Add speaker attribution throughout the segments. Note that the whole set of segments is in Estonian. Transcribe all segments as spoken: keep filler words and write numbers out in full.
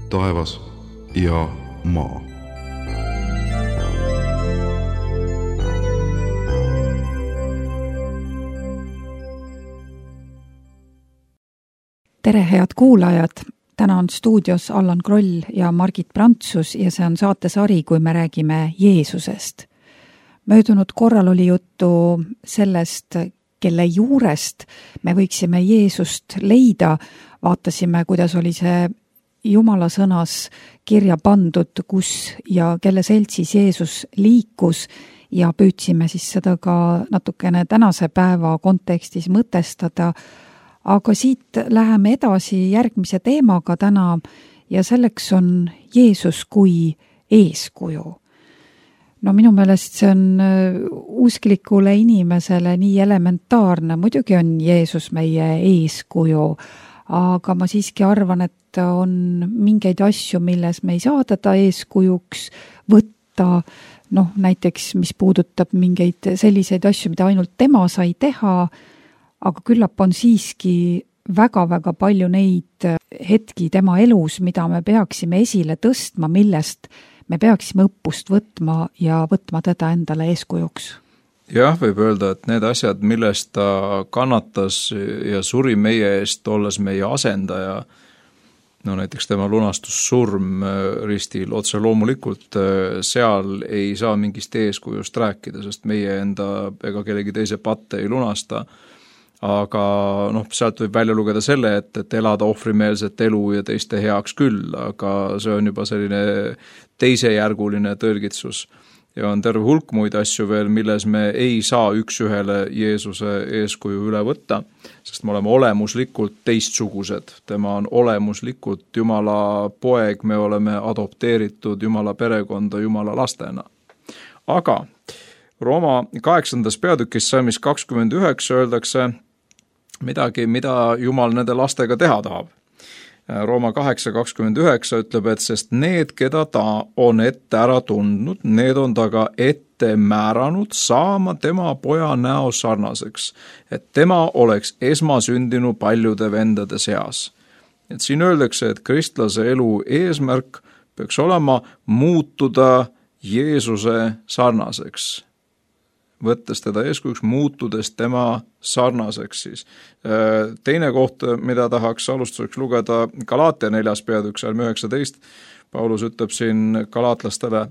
Speaker 1: taevas ja maa.
Speaker 2: Tere, head kuulajad! Täna on stuudios Allan Kroll ja Margit Prantsus ja see on saatesari, kui me räägime Jeesusest. Möödunud korral oli juttu sellest, kelle juurest me võiksime Jeesust leida. Vaatasime, kuidas oli see Jumala sõnas kirja pandud, kus ja kelle seltsis Jeesus liikus ja püüdsime siis seda ka natukene tänase päeva kontekstis mõtestada. Aga siit läheme edasi järgmise teemaga täna ja selleks on Jeesus kui eeskuju. No minu meelest see on usklikule inimesele nii elementaarne. Muidugi on Jeesus meie eeskuju, aga ma siiski arvan, et on mingeid asju, milles me ei saa teda eeskujuks võtta. Noh, näiteks, mis puudutab mingeid selliseid asju, mida ainult tema sai teha, aga küllap on siiski väga-väga palju neid hetki tema elus, mida me peaksime esile tõstma, millest me peaksime õppust võtma ja võtma teda endale eeskujuks.
Speaker 3: Jah, võib öelda, et need asjad, millest ta kannatas ja suri meie eest, olles meie asendaja, no näiteks tema lunastussurm ristil, otse loomulikult seal ei saa mingist eeskujust rääkida, sest meie enda ega kellegi teise patte ei lunasta. Aga noh, sealt võib välja lugeda selle, et, et elada ohvrimeelset elu ja teiste heaks küll, aga see on juba selline teisejärguline tõlgitsus. Ja on terve hulk muid asju veel, milles me ei saa üks ühele Jeesuse eeskuju üle võtta, sest me oleme olemuslikult teistsugused. Tema on olemuslikult Jumala poeg, me oleme adopteeritud Jumala perekonda Jumala lastena. Aga Rooma kaheksandas peatükis salmis kakskümmend üheksa öeldakse midagi, mida Jumal nende lastega teha tahab. Rooma kaheksa kakskümmend üheksa ütleb, et sest need, keda ta on ette ära tundnud, need on ta ka ette määranud saama tema poja näo sarnaseks, et tema oleks esmasündinu paljude vendade seas. Et siin öeldakse, et kristlase elu eesmärk peaks olema muutuda Jeesuse sarnaseks. Võttes teda eeskujuks, muutudes tema sarnaseks siis. Teine koht, mida tahaks alustuseks lugeda, Galaatia neljas peatükk, salm üheksateist, Paulus ütleb siin galaatlastele,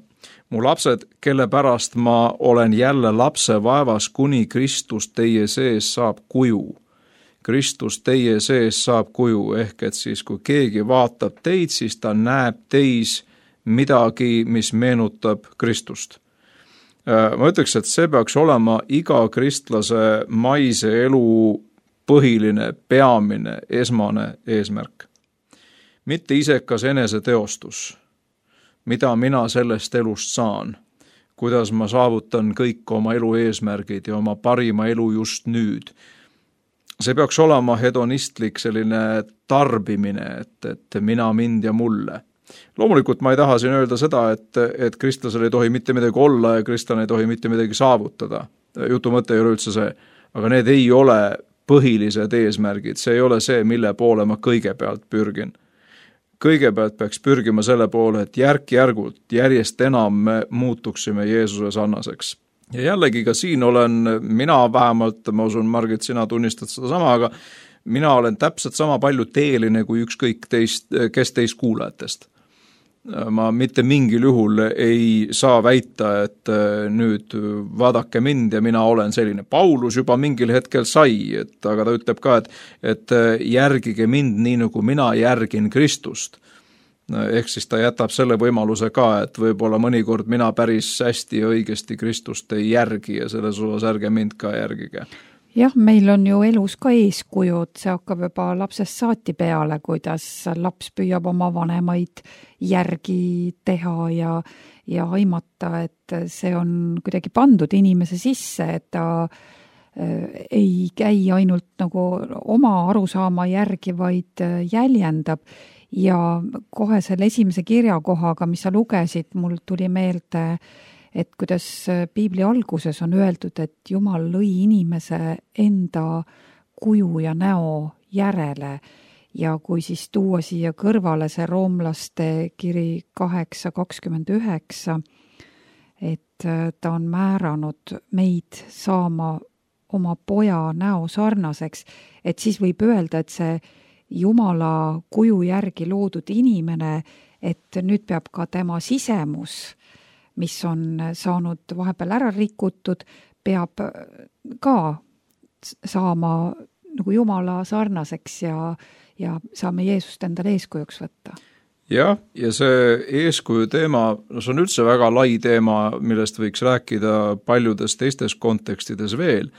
Speaker 3: mu lapsed, kelle pärast ma olen jälle lapse vaevas, kuni Kristus teie sees saab kuju. Kristus teie sees saab kuju, ehk et siis kui keegi vaatab teid, siis ta näeb teis midagi, mis meenutab Kristust. Ma ütleks, et see peaks olema iga kristlase maise elu põhiline, peamine, esmane eesmärk. Mitte isekas eneseteostus, mida mina sellest elust saan, kuidas ma saavutan kõik oma elu eesmärgid ja oma parima elu just nüüd. See peaks olema hedonistlik selline tarbimine, et, et mina, mind ja mulle. Loomulikult ma ei taha siin öelda seda, et, et kristlasel ei tohi mitte midagi olla ja kristlane ei tohi mitte midagi saavutada. Jutu mõte ei ole üldse see, aga need ei ole põhilised eesmärgid, see ei ole see, mille poole ma kõigepealt pürgin. Kõigepealt peaks pürgima selle poole, et järk-järgult järjest enam me muutuksime Jeesuse sarnaseks. Ja jällegi ka siin olen, mina vähemalt, ma usun, Margit, sina tunnistad seda sama, aga mina olen täpselt sama palju teeline kui ükskõik teist, kes teist kuulajatest. Ma mitte mingil juhul ei saa väita, et nüüd vaadake mind ja mina olen selline. Paulus juba mingil hetkel sai, et, aga ta ütleb ka, et, et järgige mind nii, nagu mina järgin Kristust. Ehk siis ta jätab selle võimaluse ka, et võib-olla mõnikord mina päris hästi ja õigesti Kristust ei järgi ja selles osas ärge mind ka järgige.
Speaker 2: Jah, meil on ju elus ka eeskujud, see hakkab juba lapsest saati peale, kuidas laps püüab oma vanemaid järgi teha ja, ja aimata, et see on kuidagi pandud inimese sisse, et ta äh, ei käi ainult nagu oma arusaama järgi, vaid jäljendab. Ja kohe selle esimese kirjakohaga, mis sa lugesid, mul tuli meelde, et kuidas Piibli alguses on öeldud, et Jumal lõi inimese enda kuju ja näo järele ja kui siis tuua siia kõrvale see roomlaste kiri kaheksa kakskümmend üheksa, et ta on määranud meid saama oma poja näo sarnaseks, et siis võib öelda, et see Jumala kuju järgi loodud inimene, et nüüd peab ka tema sisemus, mis on saanud vahepeal ära rikutud, peab ka saama nagu Jumala sarnaseks ja, ja saame Jeesust endale eeskujuks võtta.
Speaker 3: Jah, ja see eeskuju teema, no see on üldse väga lai teema, millest võiks rääkida paljudes teistes kontekstides veel.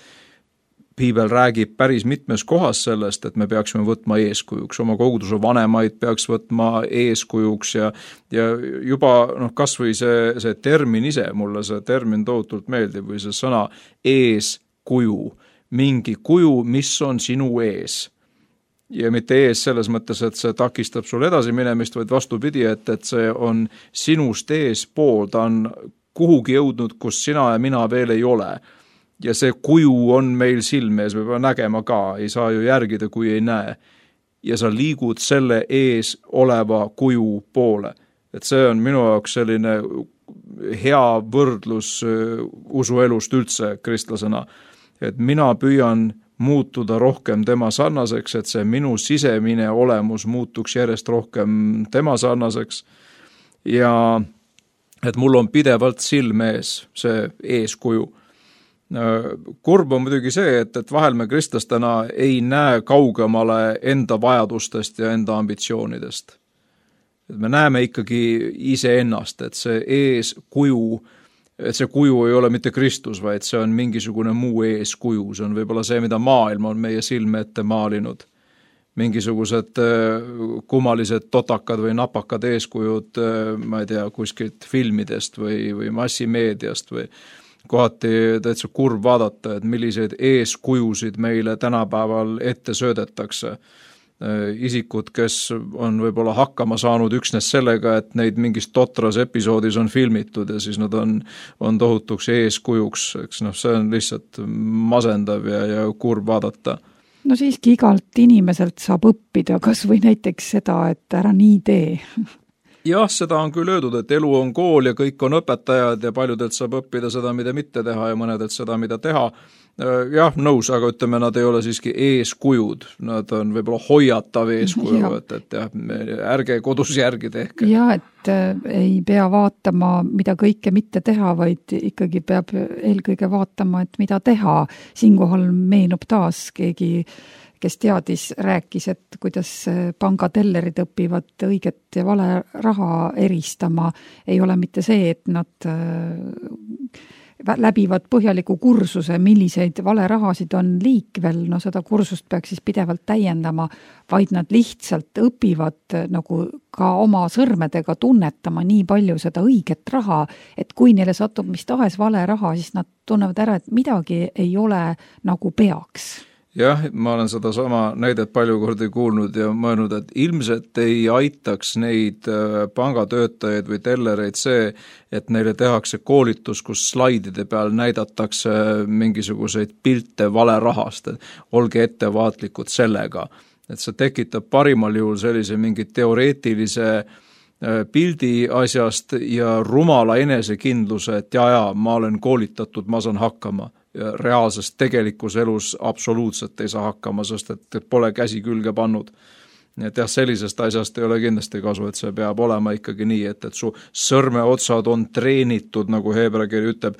Speaker 3: Piibel räägib päris mitmes kohas sellest, et me peaksime võtma eeskujuks, oma koguduse vanemaid peaks võtma eeskujuks ja, ja juba noh, kas või see, see termin ise, mulle see termin tohutult meeldib või see sõna eeskuju, mingi kuju, mis on sinu ees. Ja mitte ees selles mõttes, et see takistab sul edasi minemist, vaid vastupidi, et, et see on sinust ees pool, ta on kuhugi jõudnud, kus sina ja mina veel ei ole. Ja see kuju on meil silme ees, me peame nägema ka, ei saa ju järgida, kui ei näe. Ja sa liigud selle ees oleva kuju poole. Et see on minu jaoks selline hea võrdlus usuelust üldse kristlasena, et mina püüan muutuda rohkem tema sarnaseks, et see minu sisemine olemus muutuks järjest rohkem tema sarnaseks ja et mul on pidevalt silme ees see eeskuju. Kurb on muidugi see, et, et vahel me kristlastena ei näe kaugemale enda vajadustest ja enda ambitsioonidest. Et me näeme ikkagi iseennast, et see eeskuju et see kuju ei ole mitte Kristus, vaid see on mingisugune muu eeskuju, see on võib-olla see, mida maailm on meie silme ette maalinud. Mingisugused kummalised totakad või napakad eeskujud, ma ei tea, kuskilt filmidest või, või massimeediast või kohati täitsa kurb vaadata, et milliseid eeskujusid meile tänapäeval ette söödetakse. Isikud, kes on võib-olla hakkama saanud üksnes sellega, et neid mingis totras episoodis on filmitud ja siis nad on, on tohutuks eeskujuks, eks noh, see on lihtsalt masendav ja, ja kurb vaadata.
Speaker 2: No siiski igalt inimeselt saab õppida, kas või näiteks seda, et ära nii tee.
Speaker 3: Jah, seda on küll öeldud, et elu on kool ja kõik on õpetajad ja paljudelt saab õppida seda, mida mitte teha ja mõnedelt seda, mida teha. Jah, nõus, aga ütleme, nad ei ole siiski eeskujud, nad on võib-olla hoiatav eeskuju, ja. et, et jah, ärge kodus järgi tehke.
Speaker 2: Ja, et ei pea vaatama, mida kõike mitte teha, vaid ikkagi peab eelkõige vaatama, et mida teha. Siinkohal meenub taas keegi, kes teadis, rääkis, et kuidas pangatellerid õpivad õiget ja vale raha eristama. Ei ole mitte see, et nad läbivad põhjaliku kursuse, milliseid valerahasid on liikvel, no seda kursust peaks siis pidevalt täiendama, vaid nad lihtsalt õpivad nagu ka oma sõrmedega tunnetama nii palju seda õiget raha, et kui neile satub mis tahes vale raha, siis nad tunnevad ära, et midagi ei ole nagu peaks.
Speaker 3: Jah, ma olen seda sama näidet palju kordi kuulnud ja mõelnud, et ilmselt ei aitaks neid pangatöötajaid või tellereid see, et neile tehakse koolitus, kus slaidide peal näidatakse mingisuguseid pilte vale rahast, et olge ettevaatlikud sellega. Et see tekitab parimal juhul sellise mingi teoreetilise pildi asjast ja rumala enesekindluse, et ja, ja, ma olen koolitatud, ma saan hakkama. Ja reaalses tegelikus elus absoluutselt ei saa hakkama, sest et pole käsi külge pannud. Nii et jah, sellisest asjast ei ole kindlasti kasu, et see peab olema ikkagi nii, et, et su sõrmeotsad on treenitud, nagu heebrea kiri ütleb,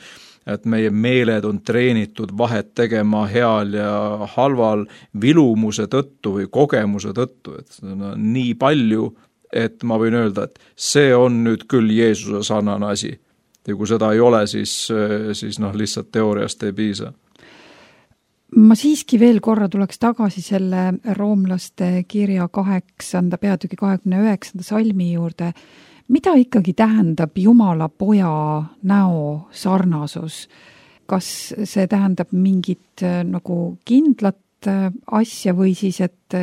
Speaker 3: et meie meeled on treenitud vahet tegema heal ja halval vilumuse tõttu või kogemuse tõttu, et no, nii palju, et ma võin öelda, et see on nüüd küll Jeesuse sarnane asi. Ja kui seda ei ole, siis, siis noh, lihtsalt teooriast ei piisa.
Speaker 2: Ma siiski veel korra tuleks tagasi selle roomlaste kirja kaheksanda peatüki kahekümne üheksanda salmi juurde. Mida ikkagi tähendab Jumala poja näo sarnasus? Kas see tähendab mingit nagu kindlat asja või siis, et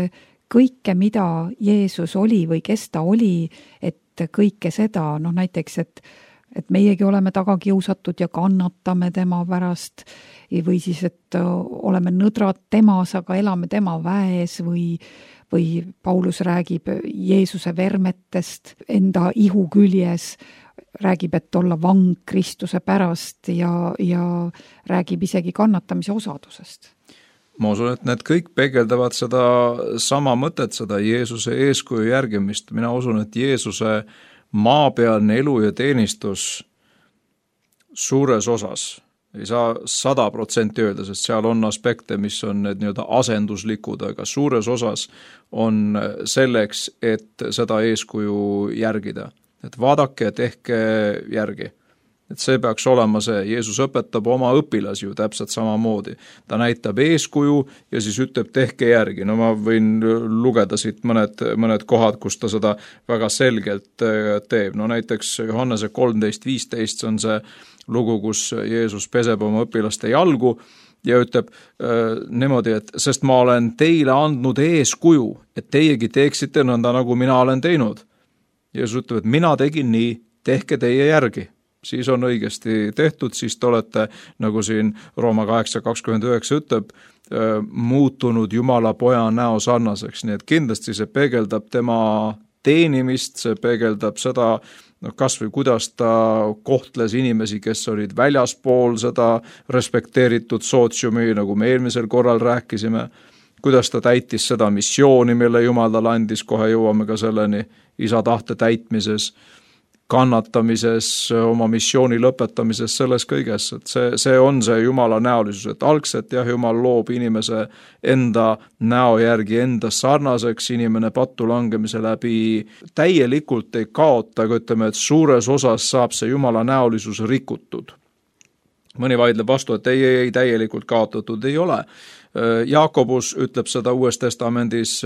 Speaker 2: kõike, mida Jeesus oli või kes ta oli, et kõike seda, noh näiteks, et et meiegi oleme taga kiusatud ja kannatame tema pärast või siis, et oleme nõdrad temas, aga elame tema väes või, või Paulus räägib Jeesuse vermetest enda ihu küljes, räägib, et olla vang Kristuse pärast ja, ja räägib isegi kannatamise osadusest.
Speaker 3: Ma usun, et need kõik peegeldavad seda sama mõtet, seda Jeesuse eeskuju järgimist. Mina usun, et Jeesuse maapealne elu ja teenistus suures osas, ei saa sada protsenti öelda, sest seal on aspekte, mis on need nii-öelda asenduslikud, aga suures osas on selleks, et seda eeskuju järgida. Et vaadake, tehke järgi. Et see peaks olema see, Jeesus õpetab oma õpilasi ju täpselt samamoodi. Ta näitab eeskuju ja siis ütleb, tehke järgi. No ma võin lugeda siit mõned, mõned kohad, kus ta seda väga selgelt teeb. No näiteks Johannese kolmteist viisteist on see lugu, kus Jeesus peseb oma õpilaste jalgu ja ütleb äh, niimoodi, et sest ma olen teile andnud eeskuju, et teiegi teeksite nõnda, nagu mina olen teinud. Jeesus ütleb, et mina tegin nii, tehke teie järgi. Siis on õigesti tehtud, siis te olete, nagu siin Rooma kaheksa kakskümmend üheksa ütleb, muutunud Jumala poja näo sarnaseks. Nii et kindlasti see peegeldab tema teenimist, see peegeldab seda, no kas või kuidas ta kohtles inimesi, kes olid väljaspool seda respekteeritud sootsiumi, nagu me eelmisel korral rääkisime, kuidas ta täitis seda missiooni, mille Jumal talle andis, kohe jõuame ka selleni, isa tahte täitmises, kannatamises, oma missiooni lõpetamises, selles kõiges, et see, see on see Jumala näolisus, et algselt jah, Jumal loob inimese enda näo järgi enda sarnaseks, inimene pattu langemise läbi täielikult ei kaota, aga ütleme, et suures osas saab see Jumala näolisus rikutud. Mõni vaidleb vastu, et ei, ei, ei täielikult kaotatud ei ole. Jaakobus ütleb seda Uues Testamendis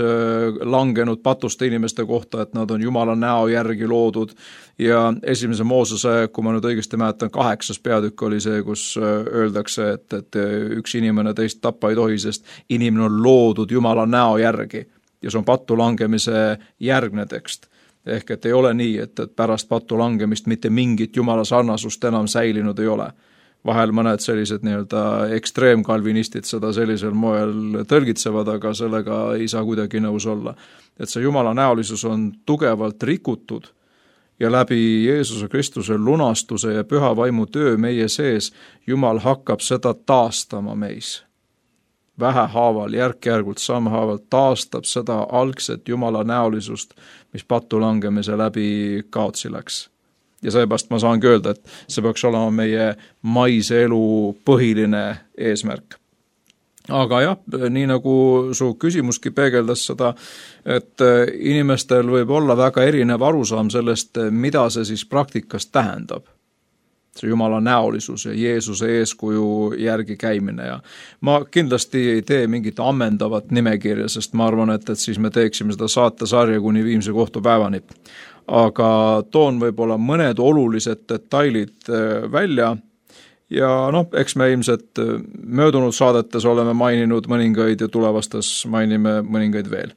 Speaker 3: langenud patuste inimeste kohta, et nad on Jumala näo järgi loodud ja esimese Moosese, kui ma nüüd õigesti mäletan, kaheksas peatükk oli see, kus öeldakse, et, et üks inimene teist tappa ei tohi, sest inimene on loodud Jumala näo järgi ja see on pattu langemise järgne tekst. Ehk et ei ole nii, et, et pärast pattu langemist mitte mingit Jumala sarnasust enam säilinud ei ole. Vahel mõned sellised nii-öelda ekstreemkalvinistid seda sellisel moel tõlgitsevad, aga sellega ei saa kuidagi nõus olla. Et see Jumala näolisus on tugevalt rikutud ja läbi Jeesuse Kristuse lunastuse ja püha vaimu töö meie sees Jumal hakkab seda taastama meis. Vähehaaval, järk-järgult, sammhaavalt taastab seda algset Jumala näolisust, mis pattu langemise läbi kaotsi läks. Ja seepärast ma saangi öelda, et see peaks olema meie maise elu põhiline eesmärk. Aga jah, nii nagu su küsimuski peegeldas seda, et inimestel võib olla väga erinev arusaam sellest, mida see siis praktikas tähendab. See Jumala näolisus ja Jeesuse eeskuju järgi käimine ja ma kindlasti ei tee mingit ammendavat nimekirja, sest ma arvan, et, et siis me teeksime seda saatesarja kuni viimse kohtupäevani. Aga toon võib-olla mõned olulised detailid välja ja noh, eks me ilmselt möödunud saadetes oleme maininud mõningaid ja tulevastes mainime mõningaid veel.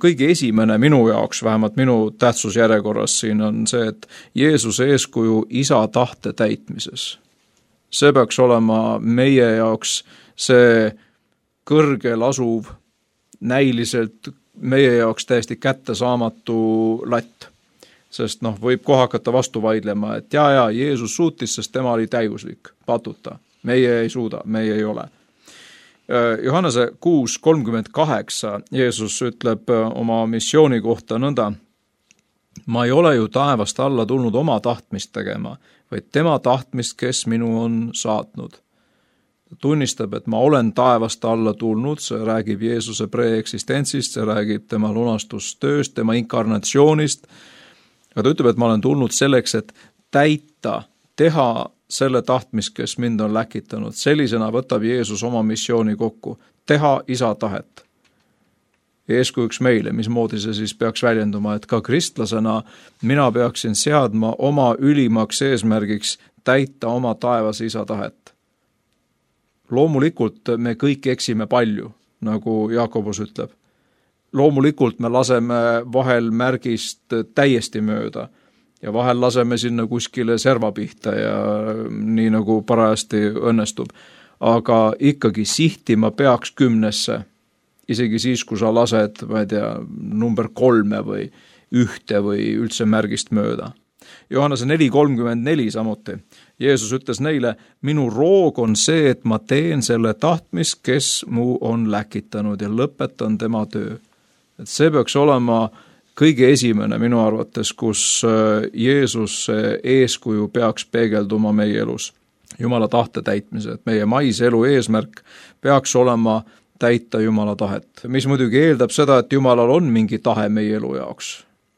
Speaker 3: Kõige esimene minu jaoks, vähemalt minu tähtsusjärjekorras siin on see, et Jeesuse eeskuju isa tahte täitmises. See peaks olema meie jaoks see kõrgel asuv, näiliselt meie jaoks täiesti kättesaamatu latt. Sest noh, võib kohe hakata vastu vaidlema, et jaa, jaa, Jeesus suutis, sest tema oli täiuslik, patuta. Meie ei suuda, meie ei ole. Johannese kuus kolmkümmend kaheksa Jeesus ütleb oma missiooni kohta nõnda, ma ei ole ju taevast alla tulnud oma tahtmist tegema, vaid tema tahtmist, kes minu on saatnud. Ta tunnistab, et ma olen taevast alla tulnud, see räägib Jeesuse preeksistentsist, see räägib tema lunastustööst, tema inkarnatsioonist, aga ta ütleb, et ma olen tulnud selleks, et täita, teha selle tahtmist, kes mind on läkitanud. Sellisena võtab Jeesus oma missiooni kokku. Teha isa tahet. Eeskujuks meile, mismoodi see siis peaks väljenduma, et ka kristlasena mina peaksin seadma oma ülimaks eesmärgiks täita oma taevas isa tahet. Loomulikult me kõik eksime palju, nagu Jaakobus ütleb. loomulikult me laseme vahel märgist täiesti mööda ja vahel laseme sinna kuskile serva pihta ja nii nagu parajasti õnnestub. Aga ikkagi sihtima peaks kümnesse, isegi siis, kui sa lased, ma ei tea, number kolme või ühte või üldse märgist mööda. Johannese neli kolmkümmend neli samuti. Jeesus ütles neile, minu roog on see, et ma teen selle tahtmist, kes mu on läkitanud ja lõpetan tema töö. Et see peaks olema kõige esimene minu arvates, kus Jeesus eeskuju peaks peegelduma meie elus. Jumala tahte täitmise, et meie maise elu eesmärk peaks olema täita Jumala tahet. Mis muidugi eeldab seda, et Jumalal on mingi tahe meie elu jaoks.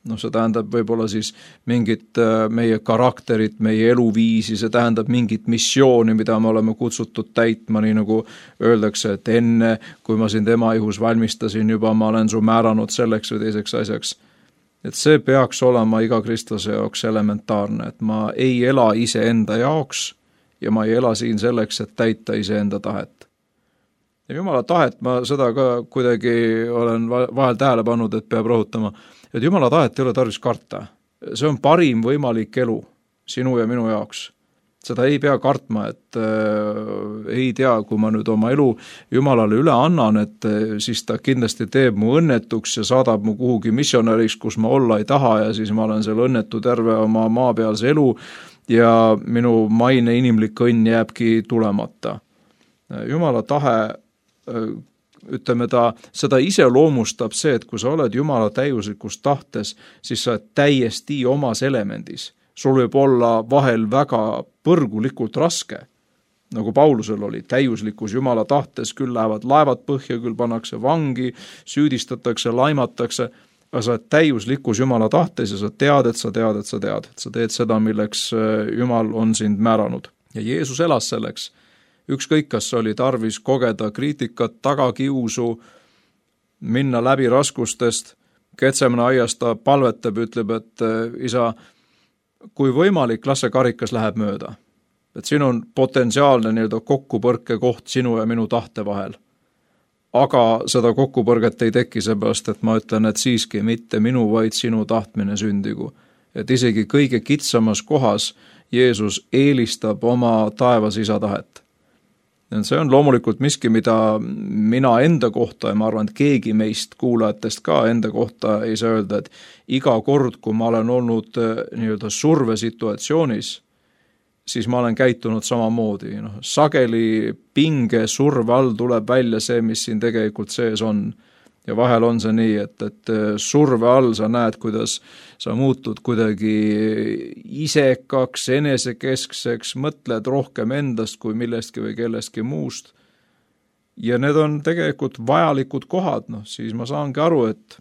Speaker 3: No see tähendab võib-olla siis mingit meie karakterit, meie eluviisi, see tähendab mingit missiooni, mida me oleme kutsutud täitma, nii nagu öeldakse, et enne, kui ma sind ema ihus valmistasin, juba ma olen su määranud selleks või teiseks asjaks. Et see peaks olema iga kristlase jaoks elementaarne, et ma ei ela ise enda jaoks ja ma ei ela siin selleks, et täita iseenda tahet. Ja Jumala tahet ma seda ka kuidagi olen vahel tähele pannud, et peab rõhutama, et Jumala tahet ei ole tarvis karta. See on parim võimalik elu sinu ja minu jaoks. Seda ei pea kartma, et äh, ei tea, kui ma nüüd oma elu Jumalale üle annan, et äh, siis ta kindlasti teeb mu õnnetuks ja saadab mu kuhugi missionäriks, kus ma olla ei taha ja siis ma olen seal õnnetu terve oma maapealse elu ja minu maine inimlik õnn jääbki tulemata. Jumala tahe äh, ütleme ta, seda ise loomustab see, et kui sa oled Jumala täiuslikus tahtes, siis sa oled täiesti omas elemendis. Sul võib olla vahel väga põrgulikult raske, nagu Paulusel oli, täiuslikus Jumala tahtes, küll lähevad laevad põhja, küll pannakse vangi, süüdistatakse, laimatakse, aga sa oled täiuslikus Jumala tahtes ja sa tead, et sa tead, et sa tead, et sa teed seda, milleks Jumal on sind määranud. Ja Jeesus elas selleks. Ükskõik, kas oli tarvis kogeda kriitikat, tagakiusu, minna läbi raskustest, Getsemane aias ta palvetab, ütleb, et isa, kui võimalik, las see karikas läheb mööda. Et siin on potentsiaalne nii-öelda kokkupõrke koht sinu ja minu tahte vahel. Aga seda kokkupõrget ei teki seepärast, et ma ütlen, et siiski mitte minu, vaid sinu tahtmine sündigu. Et isegi kõige kitsamas kohas Jeesus eelistab oma taevas isa tahet. See on loomulikult miski, mida mina enda kohta ja ma arvan, et keegi meist kuulajatest ka enda kohta ei saa öelda, et iga kord, kui ma olen olnud nii-öelda survesituatsioonis, siis ma olen käitunud samamoodi. No, sageli pinge surve all tuleb välja see, mis siin tegelikult sees on. Ja vahel on see nii, et, et surve all sa näed, kuidas sa muutud kuidagi isekaks, enesekeskseks, mõtled rohkem endast kui millestki või kellestki muust. Ja need on tegelikult vajalikud kohad, no siis ma saangi aru, et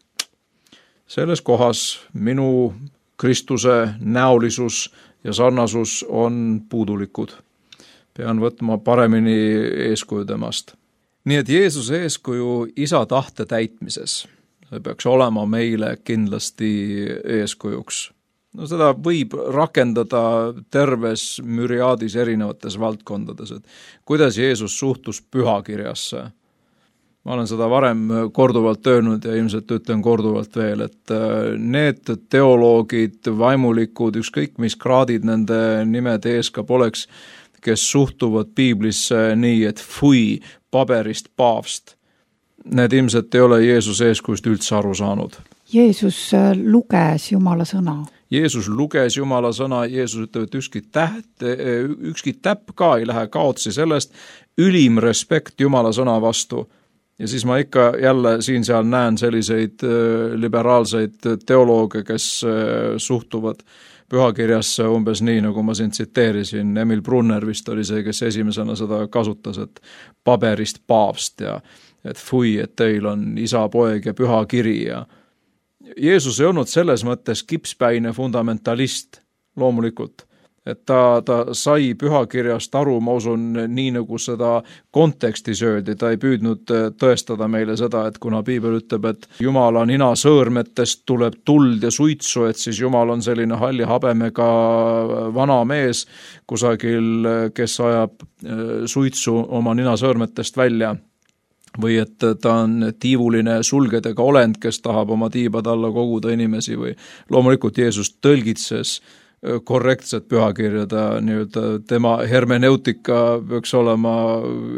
Speaker 3: selles kohas minu Kristuse näolisus ja sarnasus on puudulikud. Pean võtma paremini eeskuju temast. Nii et Jeesuse eeskuju isa tahte täitmises, see peaks olema meile kindlasti eeskujuks. No seda võib rakendada terves müriaadis erinevates valdkondades, et kuidas Jeesus suhtus pühakirjasse. Ma olen seda varem korduvalt öelnud ja ilmselt ütlen korduvalt veel, et need teoloogid, vaimulikud, ükskõik mis kraadid nende nimede ees ka poleks, kes suhtuvad piiblisse nii, et fui, paberist paavst. Need ilmselt ei ole Jeesuse eeskujust üldse aru saanud.
Speaker 2: Jeesus luges Jumala sõna.
Speaker 3: Jeesus luges Jumala sõna, Jeesus ütleb, et ükski täht, ükski täpp ka ei lähe kaotsi sellest, ülim respekt Jumala sõna vastu. Ja siis ma ikka jälle siin seal näen selliseid liberaalseid teolooge, kes suhtuvad pühakirjasse umbes nii, nagu ma siin tsiteerisin. Emil Brunner vist oli see, kes esimesena seda kasutas, et paberist paavst ja et fui, et teil on isa, poeg ja püha kiri. Ja Jeesus ei olnud selles mõttes kipspäine fundamentalist loomulikult. Et ta, ta sai pühakirjast aru, ma usun, nii nagu seda kontekstis öeldi, ta ei püüdnud tõestada meile seda, et kuna piibel ütleb, et Jumala nina sõõrmetest tuleb tuld ja suitsu, et siis Jumal on selline halli habemega vana mees kusagil, kes ajab suitsu oma nina sõõrmetest välja. või et ta on tiivuline sulgedega olend, kes tahab oma tiibade alla koguda inimesi või loomulikult Jeesus tõlgitses korrektset pühakirja, ta nii-öelda tema hermeneutika peaks olema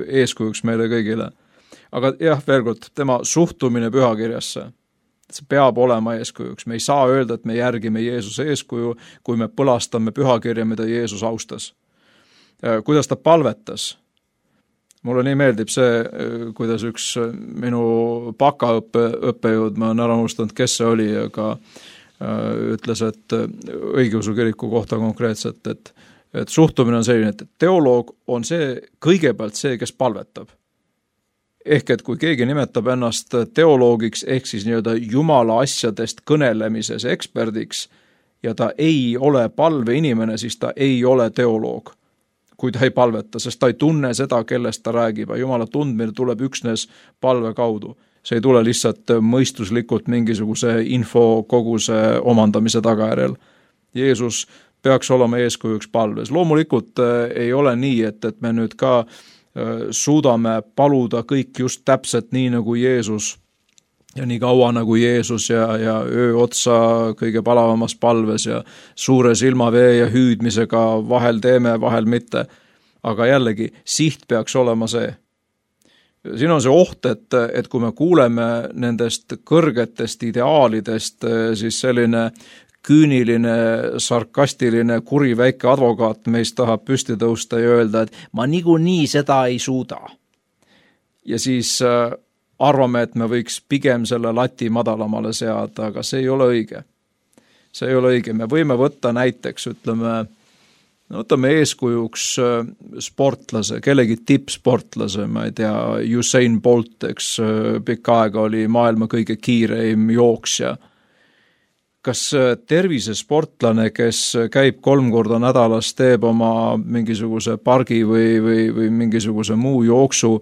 Speaker 3: eeskujuks meile kõigile. Aga jah, veel kord, tema suhtumine pühakirjasse, see peab olema eeskujuks. Me ei saa öelda, et me järgime Jeesuse eeskuju, kui me põlastame pühakirja, mida Jeesus austas. Kuidas ta palvetas? Mulle nii meeldib see, kuidas üks minu bakaõppe õppejõud, ma olen ära unustanud, kes see oli, aga ütles, et õigeusu kiriku kohta konkreetselt, et, et suhtumine on selline, et teoloog on see kõigepealt see, kes palvetab. Ehk et kui keegi nimetab ennast teoloogiks, ehk siis nii-öelda jumala asjadest kõnelemises eksperdiks ja ta ei ole palveinimene, siis ta ei ole teoloog, kui ta ei palveta, sest ta ei tunne seda, kellest ta räägib. Jumala tundmine tuleb üksnes palve kaudu. See ei tule lihtsalt mõistuslikult mingisuguse info koguse omandamise tagajärjel. Jeesus peaks olema eeskujuks palves. Loomulikult ei ole nii, et, et me nüüd ka suudame paluda kõik just täpselt nii nagu Jeesus ja nii kaua nagu Jeesus ja, ja öö otsa kõige palavamas palves ja suure silmavee ja hüüdmisega vahel teeme, vahel mitte. Aga jällegi, siht peaks olema see. Siin on see oht, et, et kui me kuuleme nendest kõrgetest ideaalidest, siis selline küüniline, sarkastiline, kuri väike advokaat meist tahab püsti tõusta ja öelda, et ma niikuinii seda ei suuda. Ja siis arvame, et me võiks pigem selle lati madalamale seada, aga see ei ole õige. See ei ole õige. Me võime võtta näiteks, ütleme, no võtame eeskujuks sportlase, kellegi tippsportlase, ma ei tea, Usain Bolt, eks pikka aega oli maailma kõige kiireim jooksja. Kas tervisesportlane, kes käib kolm korda nädalas, teeb oma mingisuguse pargi või, või, või mingisuguse muu jooksu,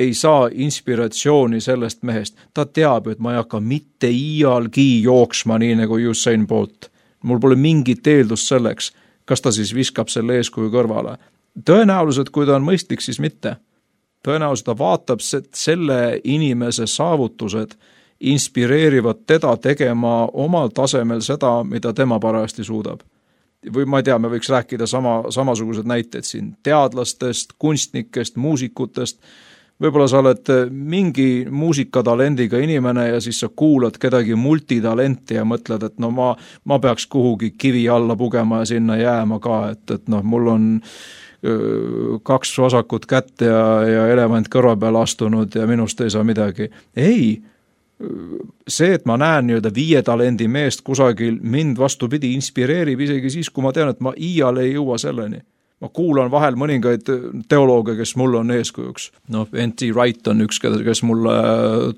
Speaker 3: ei saa inspiratsiooni sellest mehest. Ta teab, et ma ei hakka mitte iialgi jooksma nii nagu Usain Bolt. Mul pole mingit eeldust selleks. Kas ta siis viskab selle eeskuju kõrvale? Tõenäoliselt, kui ta on mõistlik, siis mitte. Tõenäoliselt ta vaatab, et selle inimese saavutused inspireerivad teda tegema omal tasemel seda, mida tema parajasti suudab. Või ma ei tea, me võiks rääkida sama, samasugused näited siin teadlastest, kunstnikest, muusikutest. Võib-olla sa oled mingi muusikatalendiga inimene ja siis sa kuulad kedagi multitalenti ja mõtled, et no ma, ma peaks kuhugi kivi alla pugema ja sinna jääma ka, et, et noh, mul on öö, kaks vasakut kätt ja, ja elevant kõrva peal astunud ja minust ei saa midagi. Ei, see, et ma näen nii-öelda viie talendi meest kusagil, mind vastupidi inspireerib isegi siis, kui ma tean, et ma iial ei jõua selleni. Ma kuulan vahel mõningaid teolooge, kes mulle on eeskujuks. No, N T Wright on üks, kes mulle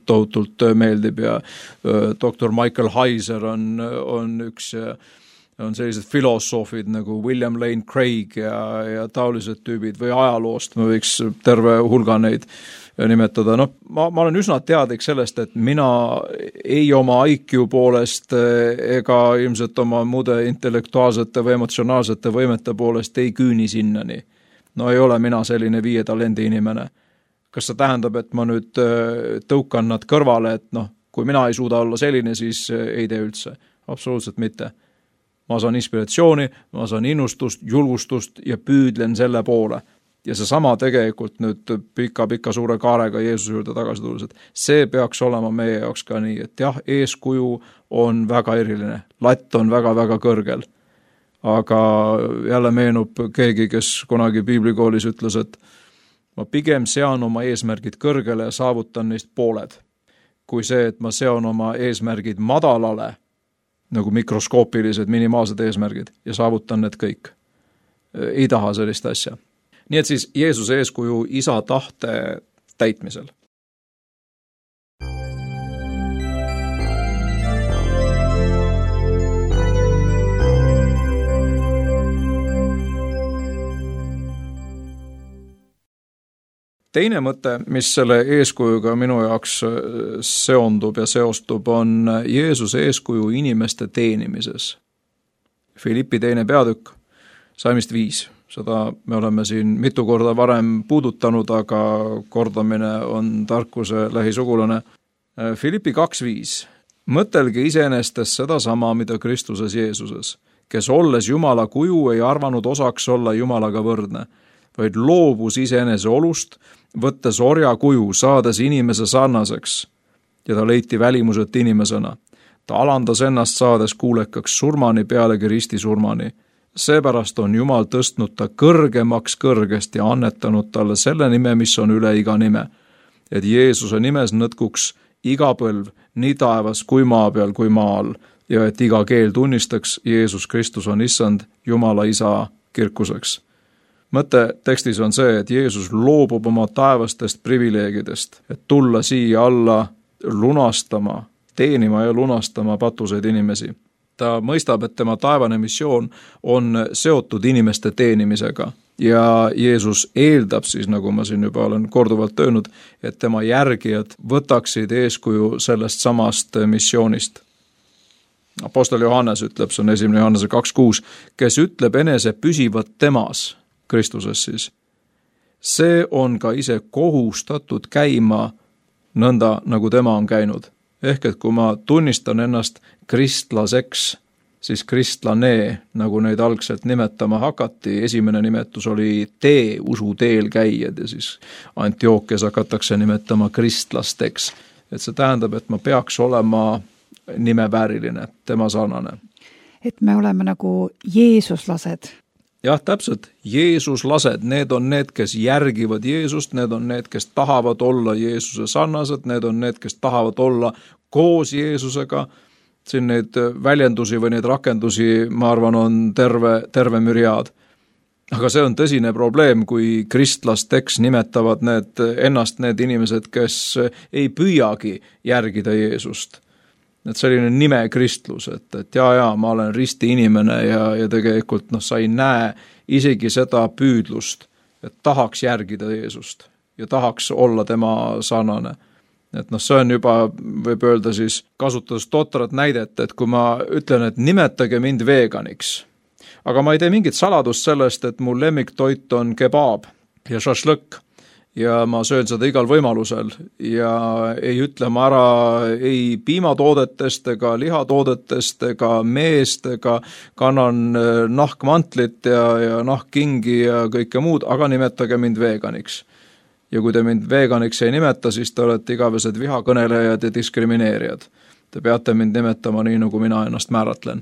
Speaker 3: tohutult meeldib ja doktor Michael Heiser on, on üks ja on sellised filosoofid nagu William Lane Craig ja, ja taolised tüübid või ajaloost, me võiks terve hulga neid nimetada. No, ma, ma olen üsna teadlik sellest, et mina ei oma I Q poolest ega ilmselt oma muude intellektuaalsete või emotsionaalsete võimete poolest ei küüni sinnani. No ei ole mina selline viie talendi inimene. Kas see tähendab, et ma nüüd tõukan nad kõrvale, et noh, kui mina ei suuda olla selline, siis ei tee üldse. Absoluutselt mitte. Ma saan inspiratsiooni, ma saan innustust, julgustust ja püüdlen selle poole. Ja see sama tegelikult nüüd pika-pika suure kaarega Jeesuse juurde tagasi tulles, et see peaks olema meie jaoks ka nii, et jah, eeskuju on väga eriline, latt on väga-väga kõrgel. Aga jälle meenub keegi, kes kunagi piiblikoolis ütles, et ma pigem sean oma eesmärgid kõrgele ja saavutan neist pooled, kui see, et ma sean oma eesmärgid madalale, nagu mikroskoopilised, minimaalsed eesmärgid ja saavutan need kõik. Ei taha sellist asja. Nii et siis Jeesuse eeskuju isa tahte täitmisel. Teine mõte, mis selle eeskujuga minu jaoks seondub ja seostub, on Jeesuse eeskuju inimeste teenimises. Filippi teine peatükk, salmist viis. Seda me oleme siin mitu korda varem puudutanud, aga kordamine on tarkuse lähisugulane. Filippi kaks viis. Mõtelge iseenestes seda sama, mida Kristuses Jeesuses, kes olles Jumala kuju ei arvanud osaks olla Jumalaga võrdne, vaid loobus iseenese olust, võttes orja kuju, saades inimese sarnaseks, ja ta leiti välimuselt inimesena. Ta alandas ennast saades kuulekaks surmani pealegi risti surmani. Seepärast on Jumal tõstnud ta kõrgemaks kõrgest ja annetanud talle selle nime, mis on üle iga nime, et Jeesuse nimes nõtkuks iga põlv, nii taevas kui maa peal kui maa all, ja et iga keel tunnistaks, Jeesus Kristus on issand Jumala isa kirkuseks. Mõte tekstis on see, et Jeesus loobub oma taevastest privileegidest, et tulla siia alla lunastama, teenima ja lunastama patuseid inimesi. Ta mõistab, et tema taevane missioon on seotud inimeste teenimisega ja Jeesus eeldab siis, nagu ma siin juba olen korduvalt öelnud, et tema järgijad võtaksid eeskuju sellest samast missioonist. Apostel Johannes ütleb, see on esimene Johannese kaks kuus, kes ütleb enese püsivat temas, Kristuses siis. See on ka ise kohustatud käima nõnda, nagu tema on käinud. Ehk et kui ma tunnistan ennast kristlaseks, siis kristlane, nagu neid algselt nimetama hakati, esimene nimetus oli tee, usu teel käijad ja siis Antiookias hakatakse nimetama kristlasteks. Et see tähendab, et ma peaks olema nimevääriline, tema sarnane.
Speaker 2: Et me oleme nagu Jeesuslased.
Speaker 3: Jah, täpselt, Jeesuslased, need on need, kes järgivad Jeesust, need on need, kes tahavad olla Jeesuse sarnased, need on need, kes tahavad olla koos Jeesusega. Siin neid väljendusi või neid rakendusi, ma arvan, on terve, terve müriaad. Aga see on tõsine probleem, kui kristlasteks nimetavad need, ennast need inimesed, kes ei püüagi järgida Jeesust. Et selline nime kristlus, et, et jaa, jaa, ma olen risti inimene ja, ja tegelikult noh, sa ei näe isegi seda püüdlust, et tahaks järgida Jeesust ja tahaks olla tema sarnane. Et noh, see on juba, võib öelda siis, kasutades totrat näidet, et kui ma ütlen, et nimetage mind veganiks, aga ma ei tee mingit saladust sellest, et mu lemmiktoit on kebab ja šašlõkk, ja ma söön seda igal võimalusel ja ei ütle ma ära ei piimatoodetest ega lihatoodetest ega meest ega kannan nahkmantlit ja, ja nahkkingi ja kõike muud, aga nimetage mind veganiks. Ja kui te mind veganiks ei nimeta, siis te olete igavesed vihakõnelejad ja diskrimineerijad. Te peate mind nimetama nii, nagu mina ennast määratlen.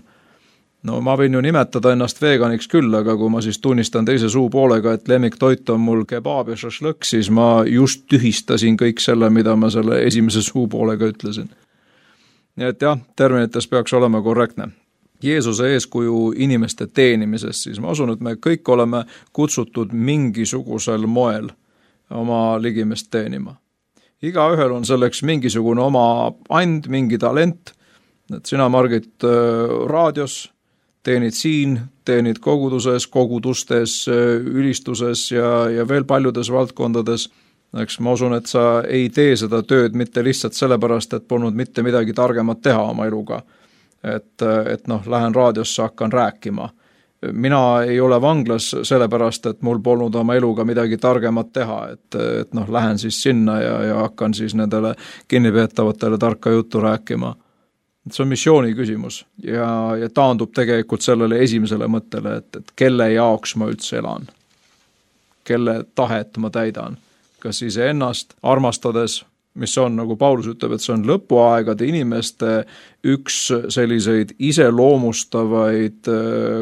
Speaker 3: No ma võin ju nimetada ennast veganiks küll, aga kui ma siis tunnistan teise suu poolega, et lemmiktoit on mul kebab ja šašlõkk, siis ma just tühistasin kõik selle, mida ma selle esimese suu poolega ütlesin. Nii et jah, terminites peaks olema korrektne. Jeesuse eeskuju inimeste teenimises, siis ma usun, et me kõik oleme kutsutud mingisugusel moel oma ligimest teenima. Igaühel on selleks mingisugune oma and, mingi talent, et sina, Margit, raadios teenid siin, teenid koguduses, kogudustes, ülistuses ja, ja veel paljudes valdkondades. Eks ma usun, et sa ei tee seda tööd mitte lihtsalt sellepärast, et polnud mitte midagi targemat teha oma eluga. Et, et noh, lähen raadiosse, hakkan rääkima. Mina ei ole vanglas sellepärast, et mul polnud oma eluga midagi targemat teha, et, et noh, lähen siis sinna ja, ja hakkan siis nendele kinnipeetavatele tarka juttu rääkima. See on missiooni küsimus ja, ja taandub tegelikult sellele esimesele mõttele, et, et kelle jaoks ma üldse elan, kelle tahet ma täidan, kas ise ennast armastades, mis on, nagu Paulus ütleb, et see on lõpuaegade inimeste üks selliseid iseloomustavaid